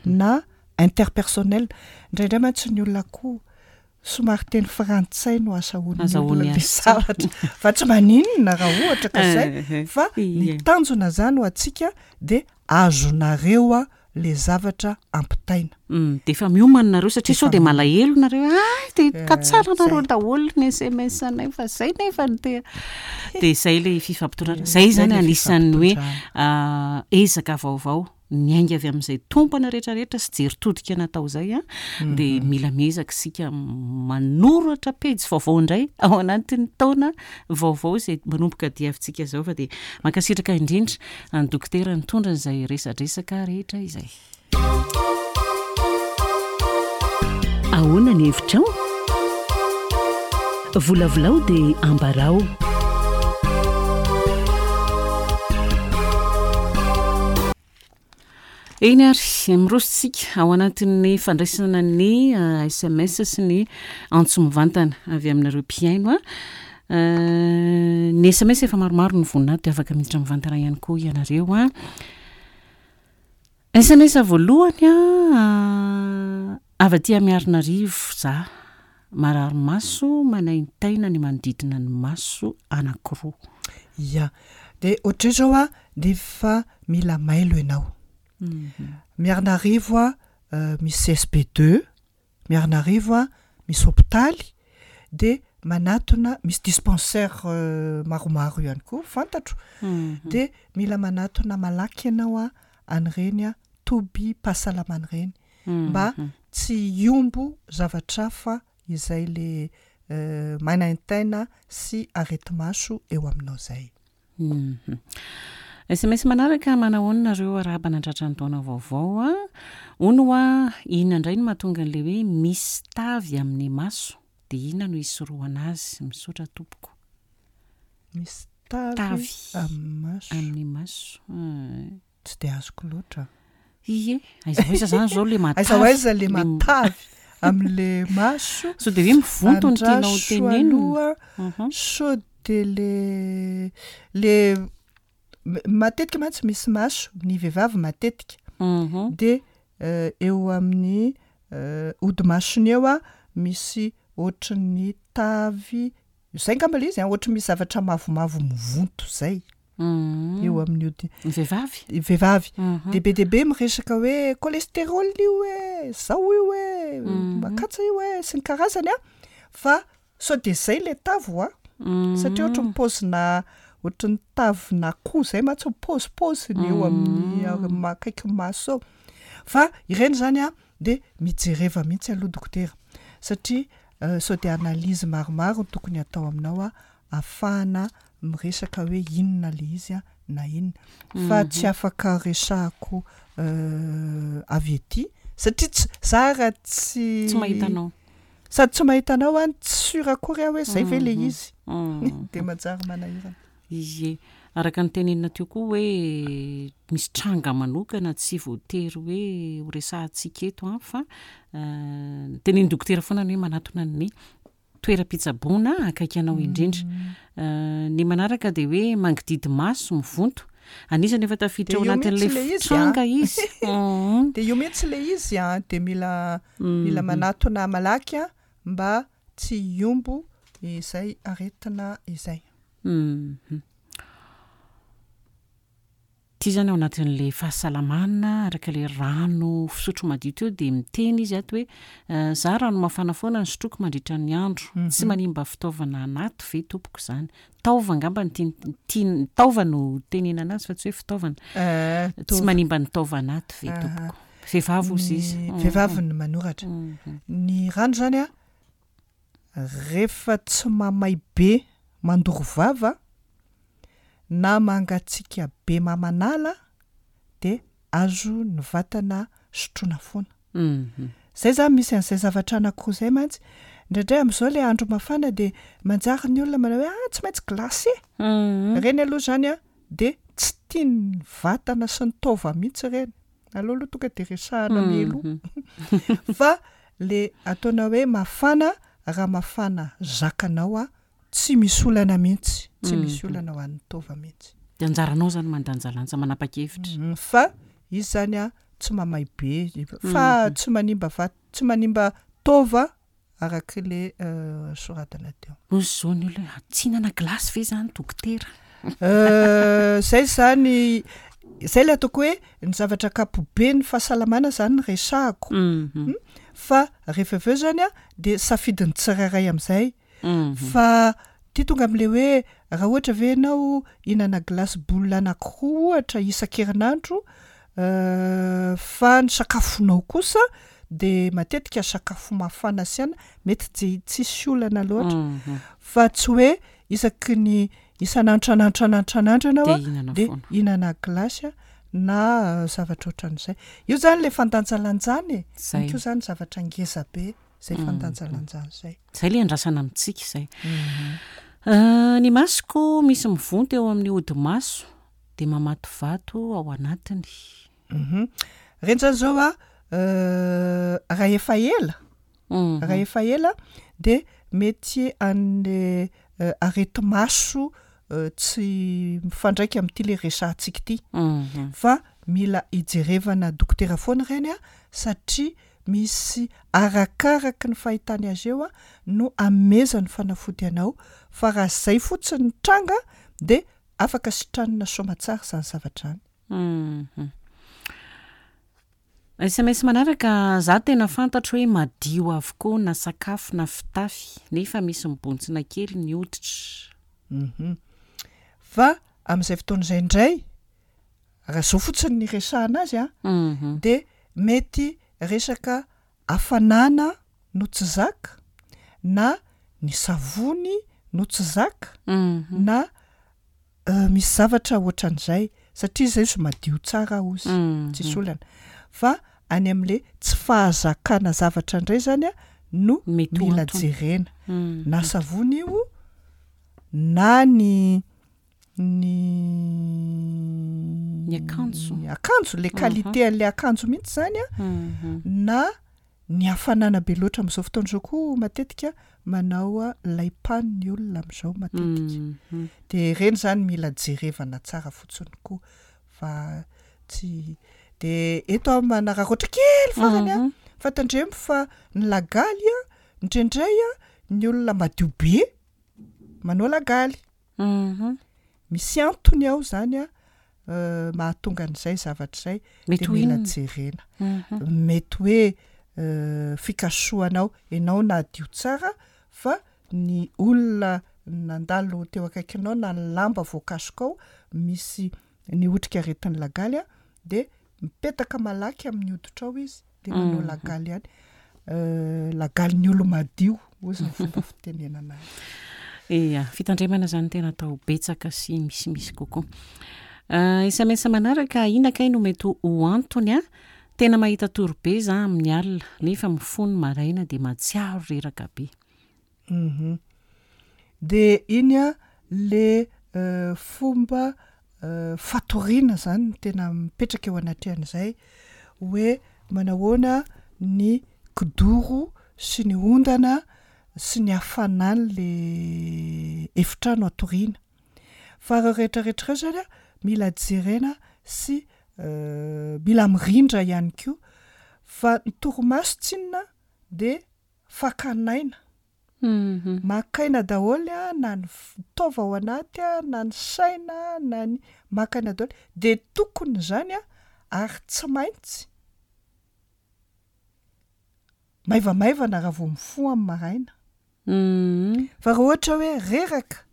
na interpersonnel. Indraindray mantsy ny olona koa. Somary teny frantsay no azahoan'ny olona le zavatra fa tsy maninona raha ohatra ka zay fa ny tanjona zany ho antsika de azonareo le zavatra ampitaina. De efa miomana nareo satria sao de malahelo nareo hoe hay de ka tsara nareo daholo ny sms anay fa zay nefa no te de zay le fifampitondrana zay zany anisan'ny hoe ezaka vaovao Miainga avy amin'izay tompana rehetra rehetra sy jery todika natao izay dia mila miezaka isika manoratra pejy vaovao indray ao anatin'ny taona vaovao izay manomboka diavintsika izao fa dia mankasitraka indrindra an'i Dokotera nitondra izay resadresaka rehetra izay. Ahoana ny hevitrao? Volavolao dia ambarao. Eny ary, miroso isika ao anatin'ny fandraisana ny sms sy ny antso mivantana avy aminareo mpihaino. Ny sms efa maromaro no vonona ato dia afaka miditra mivantana ihany koa ianareo. Sms voalohany a, avy aty Miarinarivo za, marary maso manaintaina ny manodidina ny maso anakiroa. Ia, dia ohatr'izay zao a, dia efa mila mailo ianao. Miarinarivo a, misy CSB deux, Miarinarivo a, misy hopitaly, dia manatona, misy dispensaire maromaro ihany koa fantatro, dia mila manatona malaky ianao a an'ireny a tobim-pahasalamana ireny mba tsy hiombo zavatra hafa izay le manaintaina sy areti-maso eo aminao izay. Sms manaraka, Manahoana nareo arahaba nandratra ny taona vaovao a! Hono hoa inona indray no mahatonga an'ilay hoe misy tavy amin'ny maso dia inona no hisorohana azy? Misaotra tompoko. Misy tavy amin'ny maso. Amin'ny maso. Tsy dia azoko loatra. Ie, aiza ho aiza zany zao le matavy. Aiza ho aiza le matavy am'le maso. Sao de hoe mivonto no tianao Andraso tenenina. aloha Mhm. sao de le le m- matetika mantsy misy maso ny vehivavy matetika Mhm. de eo amin'ny hodi-masony eo a misy ohatran'ny tavy, zay angamba le izy an, ohatry misy zavatra mavomavo mivonto zay. eo amin'ny ody. Ny vehivavy? Ny vehivavy. Dia be dia be miresaka hoe cholestérol io e, zao io e, makatsa io e, sy ny karazany an, fa sao dia zay le tavy hoa, satria ohatry ny paozina ohatry ny tavin'akoho zay mantsy ny paozipaoziny eo amin'ny akaiky maso eo, fa ireny zany an de mijereva mihitsy aloha dokotera satria sao dia analyse maromaro no tokony hatao aminao an, afahana miresaka hoe inona le izy a na inona fa tsy afaka resahako avy ety satria tsy za raha tsy Tsy mahita anao. sady tsy mahita anao aho no tsy sûr akory aho hoe zay ve le izy de manjary manahirana. Ie, araka ny tenenina teo koa hoe misy tranga manokana tsy voatery hoe ho resahantsika eto an fa tenenin'ny dokotera foana ny hoe manatona ny toeram-pitsaboana akaiky anao indrindra. Ny manaraka dia hoe mangididy maso, mivonto. Anisan'ny efa tafiditra ao anatin'ilay tranga izy. Dia io mihitsy ilay izy an, dia mila mila manatona malaky an, mba tsy hiombo izay aretina izay. Ity izany ao anatin'ilay fahasalamana araka ilay rano fisotro madio teo dia miteny izy ato hoe za rano mafana foana no sotroiko mandritra ny andro, tsy manimba fitaovana anaty ve tompoko izany? Taova angamba no tiany, tiany, taova no tenenana azy fa tsy hoe fitaovana. Tsy manimba ny taova anaty ve tompoko? Vehivavy hozy izy. Vehivavy no manoratra. Ny rano izany an, Rehefa tsy mamay be mandoro vava na mangatsiaka be mamanala dia azo ny vatana sotroina foana. Zay zany misy an'izay zavatra anankiroa izay mantsy, indraindray amin'izao ilay andro mafana dia manjary ny olona manao hoe ah tsy maintsy glacé, ireny aloha izany an dia tsy tian'ny vatana sy ny taova mihitsy ireny. Aleo aloha tonga de resahana mialoha fa le ataonao hoe mafana raha mafana zakanao a tsy misy olana mihitsy, tsy misy olana ho an'ny taova mihitsy. De anjaranao zany mandanjalanja manapa-kevitra. Fa izy zany a tsy mamay be fa tsy manimba vat- tsy manimba taova. arak'le soratana teo. Hoy izao ny olona hoe, tsy hihinana glace ve izany dokotera? Zay izany, zay ilay ataoko hoe ny zavatra ankapoben'ny fahasalamana izany no resahako fa rehefa avy eo izany an de safidin'ny tsirairay amin'izay fa ty tonga amin'le hoe raha ohatra ve ianao hihinana glace boule anakiroa ohatra isan-kerinandro fa ny sakafonao kosa de matetika sakafo mafana sy anona mety tsy tsisy olana loatra fa tsy hoe isaky ny isan'andro isan'andro isan'andro isan'andro ianao a de hihinana glace a na zavatra ohatran'izay. Io zany le fandanjalanjana e, iny koa zany zavatra ngeza be zay fandanjalanjana zay. Zay le andrasana amintsika izay. Ny masoko misy mivonto eo amin'ny hodi-maso de mamatovato ao anatiny. Reny zany zao a, raha efa ela, raha efa ela de mety an'le areti-maso tsy mifandraika amin'ity le resahantsika ity fa mila ijerevana dokotera foana ireny a satria misy arakaraky ny fahitany azy eo a no amezany fanafody anao fa raha zay fotsiny ny tranga de afaka sitranina soamatsara izany zavatra izany. Sms manaraka, za tena fantatro hoe madio avokoa na sakafo na fitafy nefa misy mibontsina kely ny hoditra. Hum. Fa amin'izay fotoana izay indray, raha izao fotsiny ny iresahana azy an, dia mety resaka hafanana no tsy zaka, na ny savony no tsy zaka, na Misy zavatra ohatran'izay satria zay izy madio tsara ozy tsisy olana fa any am'le tsy fahazakana zavatra indray zany a no mila jerena na savony io na ny ny ny akanjo akanjo le qualité an'le akanjo mihitsy zany a na Ny hafanana be loatra amin'izao fotoana izao koa matetika manao laimpano ny olona amin'izao matetika. Dia ireny izany mila jerevana tsara fotsiny koa fa tsy dia eto aho manararaotra kely farany an, fa tandremo fa ny lagaly an, indraindray an, ny olona madio be manao lagaly. Misy antony ao izany an, mahatonga an'izay zavatra izay Mety de ho mila inona? jerena. Mety hoe fikasohanao, ianao nadio tsara fa ny olona nandalo teo akaikinao na ny lamba voakasokao misy ny otrikaretin'ny lagaly a de mipetaka malaky amin'ny hoditrao izy de manao lagaly ihany. Lagalin'ny olo-madio hozy ny fomba fitenenana azy. Ia, fitandremana izany tena atao betsaka sy misimisy kokoa. Sms manaraka, inona kay no mety ho antony a? Tena mahita tory be za amin'ny alina nefa mifoha ny maraina dia mahatsiaro reraka be. Hum de iny a le fomba fatoriana zany no tena mipetraka eo anatrehan'izay hoe manahoana ny kidoro sy ny ondana sy ny hafanan'le efitrano atoriana fa reo rehetrarehetra reo zany a mila jerena sy mila mirindra ihany koa fa ny torimaso tsinona de Fakan'aina. Maka aina daholo na ny taova ao anaty na ny saina na ny, maka aina daholo. Dia tokony izany ary tsy maintsy maivamaivana raha vao mifoha amin'ny maraina. Fa raha ohatra hoe reraka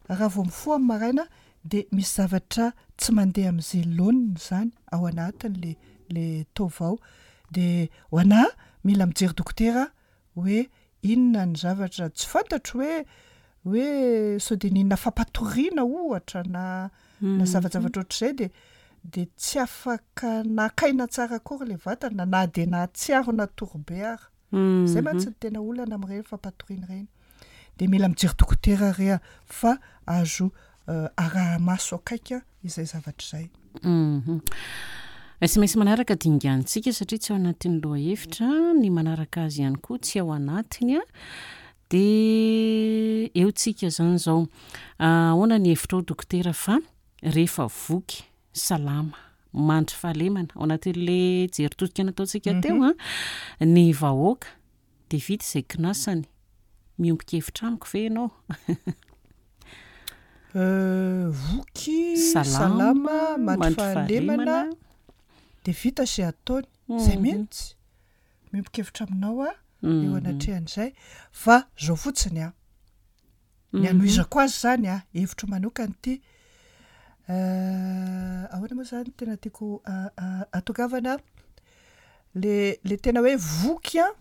raha vao mifoha amin'ny maraina dia misy zavatra tsy mandeha amin'izay laoniny izany ao anatin'le le taova ao. Dia ho anà mila mijery dokotera hoe inona ny zavatra tsy fantatro hoe hoe sao dia nihinana fampatoriana ohatra na na zavajavatra ohatr'izay dia dia tsy afaka naka aina tsara akory ilay vatana na dia nahatsiaro natory be ara. Zay mantsy no tena olana amin'ireny fampatoriana ireny. Dia mila mijery dokotera re a, fa azo araha-maso akaiky izay zavatra izay. Sms manaraka dingantsika satria tsy ao anatin'ny lohahevitra, ny manaraka azy ihany koa tsy ao anatiny. Dia eo tsika izany izao. Ahoana ny hevitrao dokotera fa rehefa voky salama, mandry fahalemana, ao anatin'le jery todika nataontsika teo an, ny vahoaka. Dia vita izay kinasany. Miombon-kevitra amiko ve ianao? Voky, salama, mandry fahalemana, dia vita izay ataony. Izay mihitsy. Miombon-kevitra aminao aho eo anatrehan'izay. Fa izao fotsiny an, ny hanohizako azy izany an, hevitro manokana ity, ahoana moa izany tena tiako hatongavana, le le tena hoe voky an,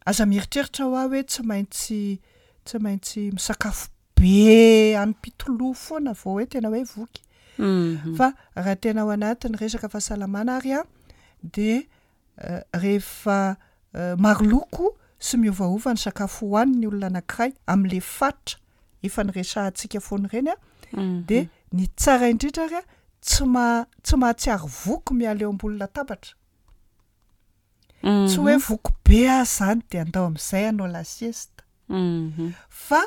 aza mieritreritra hoa hoe tsy maintsy tsy maintsy misakafo be hanim-pitoloha foana vao hoe tena hoe voky. Fa raha tena ao anatin'ny resaka fahasalamana ary an, de rehefa maro loko sy miovaova ny sakafo hohanin'ny olona anankiray amin'le fatra efa niresahantsika foana ireny an, de ny tsara indrindra ary an, tsy ma- tsy mahatsiaro voky miala eo ambony latabatra. Tsy hoe voky be aho zany de andao amin'izay hanao la sieste. Fa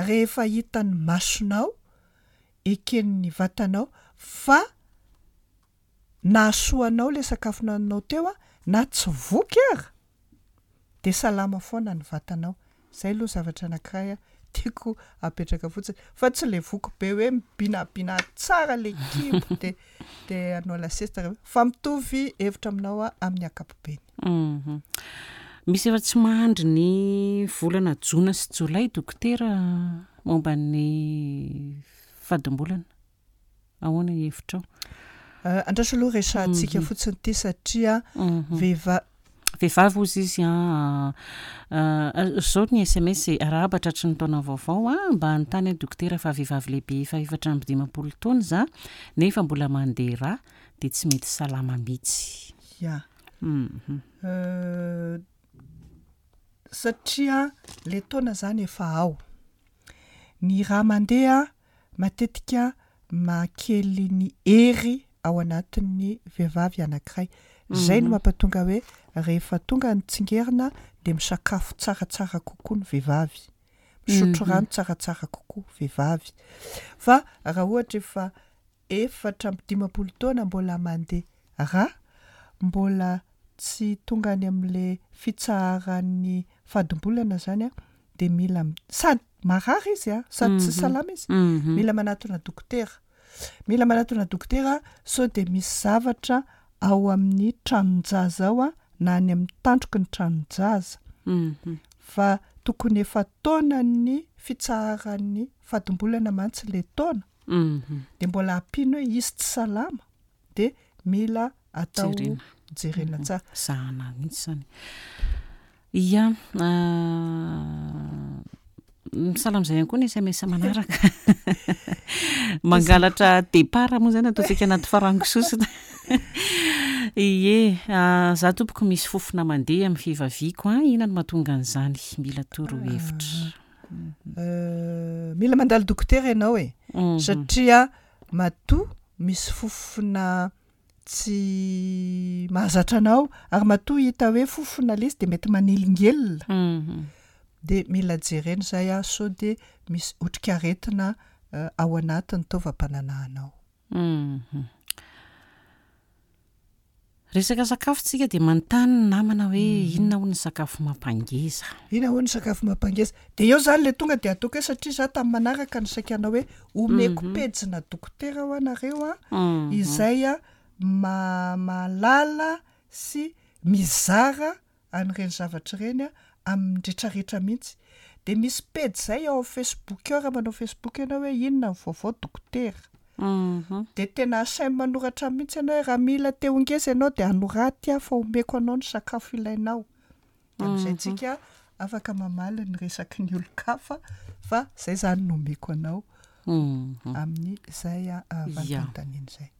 rehefa hitan'ny masonao, eken'ny vatanao fa nahasoa anao le sakafo nohaninao teo a, na tsy voky ara de salama foana ny vatanao. Zay aloha zavatra anakiray tiako apetraka fotsiny fa tsy le voky be hoe mibinabina tsara le kibo de de hanao la sieste rehefa fa mitovy hevitra aminao aho amin'ny ankapobeny. Misy efa tsy mahandry ny volana jona sy jolay dokotera momba ny fadimbolana. Ahoana ny hevitrao? Andraso aloha resahantsika fotsiny ity satria vehiva- Vehivavy hozy izy an, zao ny sms e, arahaba tratry ny taona vaovao an, mba hanontany aho dokotera fa vehivavy lehibe efa 54 taona za nefa mbola mandeha rà dia tsy mety salama mihitsy. Ya. Satria le taona zany efa ao. Ny rà mandeha matetika mahakely ny hery ao anatin'ny vehivavy anankiray. Izay no mampatonga hoe rehefa tonga ny tsingerina dia misakafo tsaratsara kokoa ny vehivavy, misotro rano tsaratsara kokoa vehivavy. Fa raha ohatra efa 54 taona mbola mandeha rà, mbola tsy tonga any amin'le fitsaharan'ny fadimbolana zany an, de mila sady marary izy an, sady tsy salama izy, mila manatona dokotera, mila manatona dokotera sao de misy zavatra ao amin'ny tranon-jaza ao an, na any amin'ny tandroky ny tranon-jaza, fa tokony efa taonan'ny fitsaharan'ny fadimbolana mantsy le taona, de mbola ampiany hoe izy tsy salama de mila atao jerena tsara. Zahana mihitsy zany. Ia, misahala amin'izay ihany koa ny sms manaraka. Mangalatra départ moa zany ataontsika anaty farango sosona. Ie, za tompoko misy fofona mandeha amin'ny fivaviako an, inona no mahatonga an'izany? Mila torohevitra. Mila mandalo dokotera ianao e, satria matoa misy fofona tsy mahazatra anao ary matoa hita hoe fofona le izy de mety manelingelina de mila jerena izay a sao de misy otrikaretina ao anatin'ny taovam-pananahanao. Resaka sakafo tsika dia manontany ny namana hoe inona hono ny sakafo mampangeza? Inona hono ny sakafo mampangeza? De eo zany le tonga de ataoko hoe satria za tamin'ny manaraka no saika hanao hoe omeko pejina dokotera hoa nareo a, izay a ma- mahalala sy mizara an'ireny zavatra ireny amin'ny retraretra mihitsy. Dia misy pejy izay ao amin'ny Facebook ao raha manao Facebook ianao hoe inona ny vaovao dokotera. Dia tena asainy manoratra mihitsy ianao hoe raha mila te ho ngeza ianao dia anoraty aho fa omeko anao ny sakafo ilainao. Dia amin'izay tsika afaka mamaly ny resaky ny olon-kafa fa izay izany no omeko anao. amin'izay valim-panontaniana izay.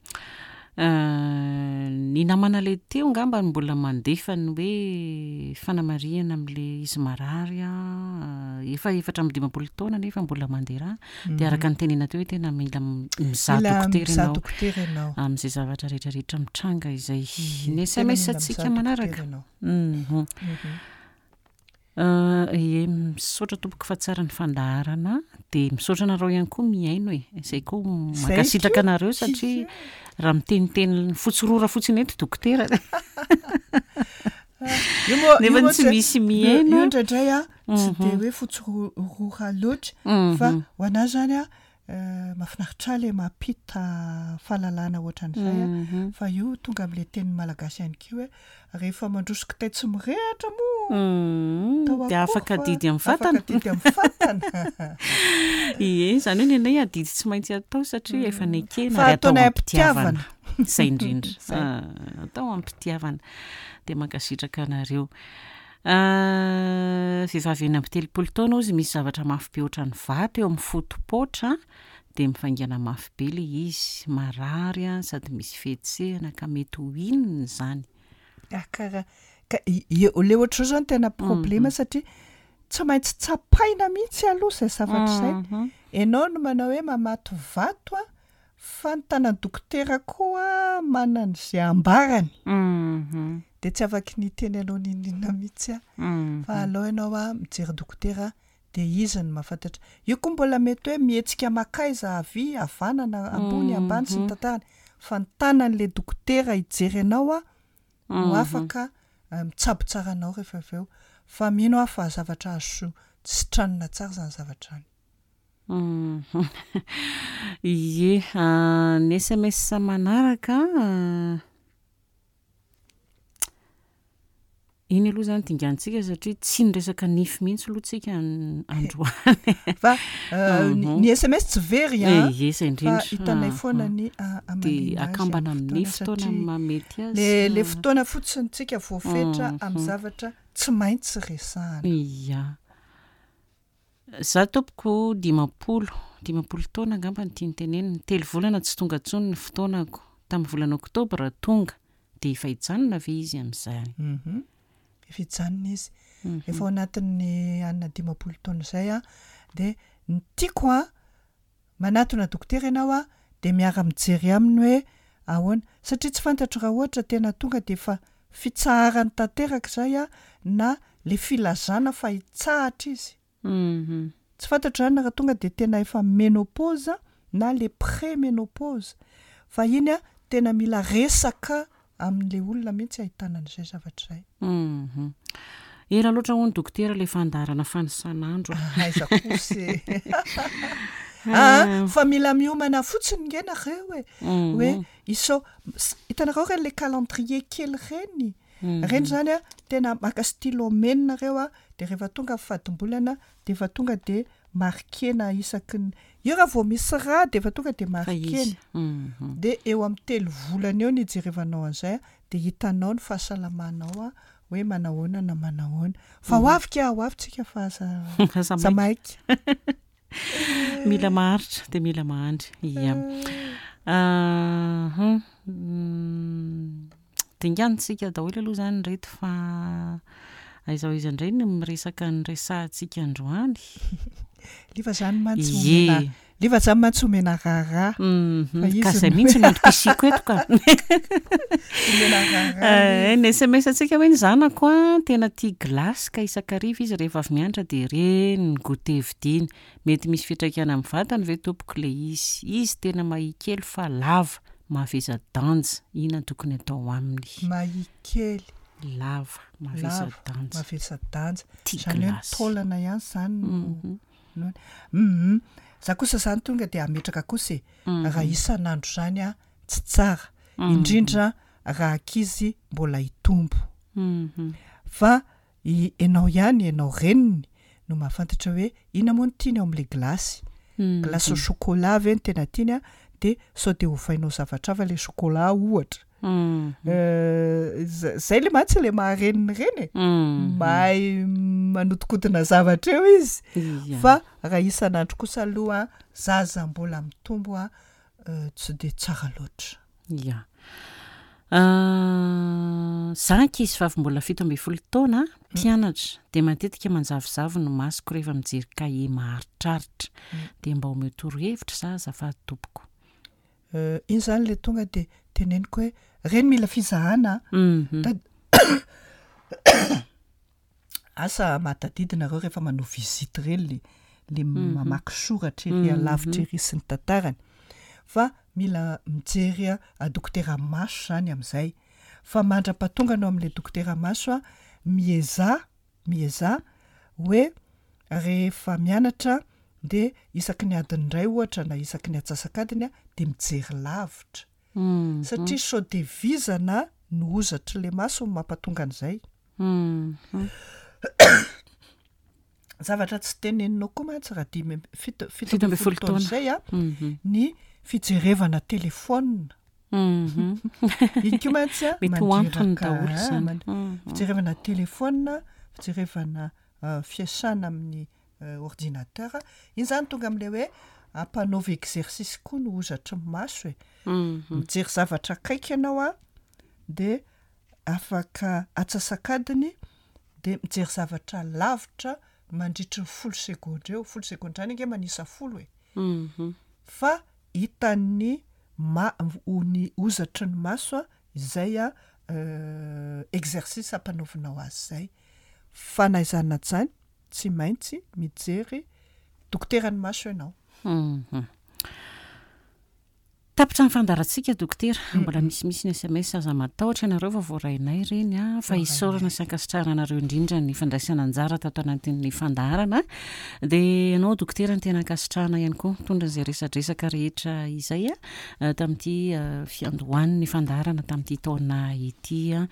Ny namana ilay teo angamba no mbola mandefa ny hoe fanamarihana amin'ilay izy marary an, efa 54 taona nefa mbola mandeha rà, dia araka ny tenena teo hoe tena mila mizaha dokotera ianao amin'izay zavatra rehetrarehetra mitranga izay. Ny sms antsika manaraka. Ie, misaotra tompoko fa tsara ny fandaharana, dia misaotra anareo ihany koa mihaino e, izay koa mankasitraka anareo satria raha miteniteny fotsy rora fotsiny eto dokotera. Io moa Nefa io moa tsy tsy misy io mihaino. io indraindray a tsy de hoe fotsy ro- rora loatra fa ho anahy zany a mahafinaritra ahy le mampita fahalalana ohatran'izay a fa io tonga am'le teny malagasy ihany koa hoe rehefa mandroso kitay tsy mirehatra moa atao Dia akory afaka fa adidy amin'ny afaka fatana. adidy amin'ny fatana. Ie, izany hoe ny anay adidy tsy maintsy atao satria efa nekena Fa ary atao ataonay am-pitiavana. am-pitiavana. Izay indrindra. Izay. Ah, atao am-pitiavana. Dia mankasitraka anareo. Ah, vehivavy 36 taona hozy misy zavatra mafy be ohatran'ny vato eo amin'ny foto-poatra dia mivaingana mafy be ilay izy, marary ah, sady misy fihetsehana ka mety ho inona izany? Ah, karaha ka i- i- le ohatr'izao zany tena problema satria tsy maintsy tsapaina mihitsy aloha izay zavatra izay. Ianao no manao hoe mamato vato a, fa ny tanan'ny dokotera koa manana izay ambarany. De tsy afaky ny hiteny anao n'inon'inona mihitsy aho. Fa aleo ianao a mijery dokotera de izy no mahafantatra. Io koa mbola mety hoe mihetsika makaiza havia, havanana, ambony, ambany sy ny tantarany. Fa ny tanan'le dokotera hijery anao a no afaka mitsabo tsara anao rehefa avy eo. Fa mino aho fa zavatra azo sitranina tsara izany zavatra izany. Ie, ny SMS manaraka iny aloha izany dinganintsika satria tsy niresaka nify mihitsy aloha tsika androany. Fa ny SMS tsy very an, Ie, izay fa indrindra. hitanay foana ny Dia hamaliana azy amin'ny akambana amin'ny fotoana fotoana satria mahamety azy. le le fotoana fotsiny tsika voafetra amin'ny zavatra tsy maintsy resahana. Ia. Za tompoko 50, 50 taona angamba no tiany tenenina. 3 volana tsy tonga intsony ny fotoanako. Tamin'ny volana oktobra tonga. Dia efa hijanona ve izy amin'izay? Efa hijanona izy. Efa ao anatin'ny anina 50 taona izay a. Dia ny tiako a, manatona dokotera ianao a, dia miara-mijery aminy hoe ahoana. Satria tsy fantatro raha ohatra tena tonga dia efa fitsaharany tanteraka izay a, na le filazana fa hitsahatra izy. Tsy fantatro izany raha tonga dia tena efa ménopause na le pré-ménopause. Fa iny a, tena mila resaka amin'ilay olona mihitsy ahitana an'izay zavatra izay. Ela loatra hono dokotera ilay fandaharana fanisan'andro. Aiza kosa e. Ah, fa mila miomana fotsiny nge nareo e. Hoe isao, hitanareo ireny le calendrier kely ireny? Ireny zany a, tena maka stylo mena nareo a, de rehefa tonga ny fadimbolana de efa tonga de marquena isaky ny, io raha vao misy rà de efa tonga de Fa izy. marquena. De eo amin'ny 3 volana eo no ijerevanao an'izay a, de hitanao ny fahasalamanao a, hoe manahoana na manahoana. Fa ho avy ka, ho avy tsika fa aza Aza aza maika. maika. Mila maharitra dia mila mahandry. Ia. Dinganintsika daholo aloha izany ireto fa aiza ho aiza indray no miresaka ny resahantsika androany. Liva izany mantsy Ie. omena, Liva izany mantsy omena raharaha. Fa izy Ka izay no- mihitsy no antom-pisiako eto ka. Omena raharaha. Ny SMS antsika hoe ny zanako a, tena tia glace ka isan-kariva izy rehefa avy mianatra dia ireny ny goûter vidiana. Mety misy fiantraikany amin'ny vatany ve tompoko ilay izy? Izy tena mahia kely fa lava, mavesa-danja. Inona no tokony atao aminy? Mahia kely. Lava, mavesa-danja. Lava, mavesa-danja. Tia Izany hoe ny glace. taolana ihany izany no no- Za kosa izany tonga dia hametraka kosa e. Raha isan'andro izany a, tsy tsara. Indrindra raha ankizy mbola hitombo. Fa ianao ihany, ianao reniny no mahafantatra hoe inona moa no tiany ao amin'ilay glace. Glace au chocolat ve no tena tiany a, dia sao dia ovainao zavatra hafa ilay chocolat ohatra. Zay le mantsy le mahareniny ireny e. Mahay manodikodina zavatra eo izy. Fa raha isan'andro kosa aloha zaza mbola mitombo a, tsy dia tsara loatra. Ia. Za ankizy vavy mbola 17 taona, mpianatra, dia matetika manjavozavo ny masoko rehefa mijery kahie maharitraritra. Dia mba omeo torohevitra za azafady tompoko. Iny zany le tonga dia teneniko hoe reny mila fizahana a. Asa mahatadidy nareo rehefa manao visite ireny le le mamaky soratra ery alavitra ery sy ny tantarany. Fa mila mijery dokotera maso zany amin'izay. Fa mandra-pahatonga anao amin'ilay dokotera maso a, miezaha, miezaha hoe rehefa mianatra dia isaky ny adiny iray ohatra na isaky ny atsasak'adiny a, dia mijery lavitra. Satria sao dia vizana no hozatr'ilay maso no mampatonga an'izay. Zavatra tsy teneninao koa mantsy raha dimy amby- fito, 17 taona izay a, ny fijerevana telefaonina. Iny koa mantsy a, Mety ho antony mandreraka, daholo izany. Fijerevana telefaonina, fijerevana fiasana amin'ny ordinateur, iny zany tonga amin'ilay hoe ampanaovy exercice koa ny hozatry ny maso e. Mijery zavatra akaiky ianao a, de afaka atsasak'adiny de mijery zavatra lavitra mandritry ny folo segondra eo, folo segondra zany ange manisa folo e, fa hitan'ny ma- ny hozatry ny maso a izay a exercice ampanaovinao azy zay, fa na izany na tsy izany tsy maintsy mijery dokoteran'ny maso ianao. Tapitra ny fandaharantsika Dokotera, mbola misimisy ny sms aza matahotra ianareo fa voarainay ireny a, fa isaorana sy ankasitrahana anareo indrindra ny fandraisana anjara tato anatin'ny fandaharana, dia ianao Dokotera no tena ankasitrahana ihany koa nitondra izay resadresaka rehetra izay a, tamin'ity fiandohan'ny fandaharana tamin'ity taona ity a,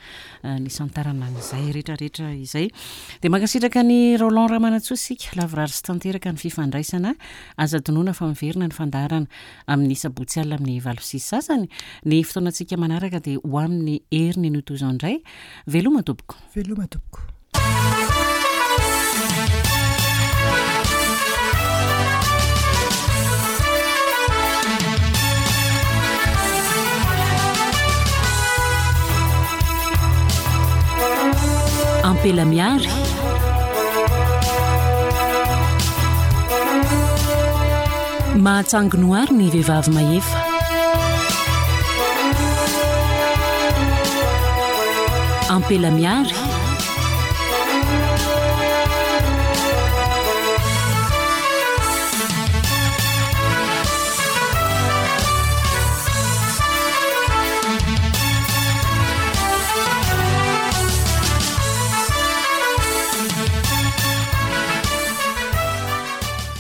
nisantarana an'izay rehetrarehetra izay. Dia mankasitraka an'i Roland Ramanantsoa isika, lavorary sy tanteraka ny fifandraisana, aza adinoina fa miverina ny fandaharana Amin'ny sabotsy alina amin'ny 8h30. Ny fotoanantsika manaraka dia ho amin'ny heriny anio toy izao indray. Veloma tompoko. Veloma tompoko. Ampela Miary. Mahatsangy noary ny vehivavy mahefa. Ampela Miary.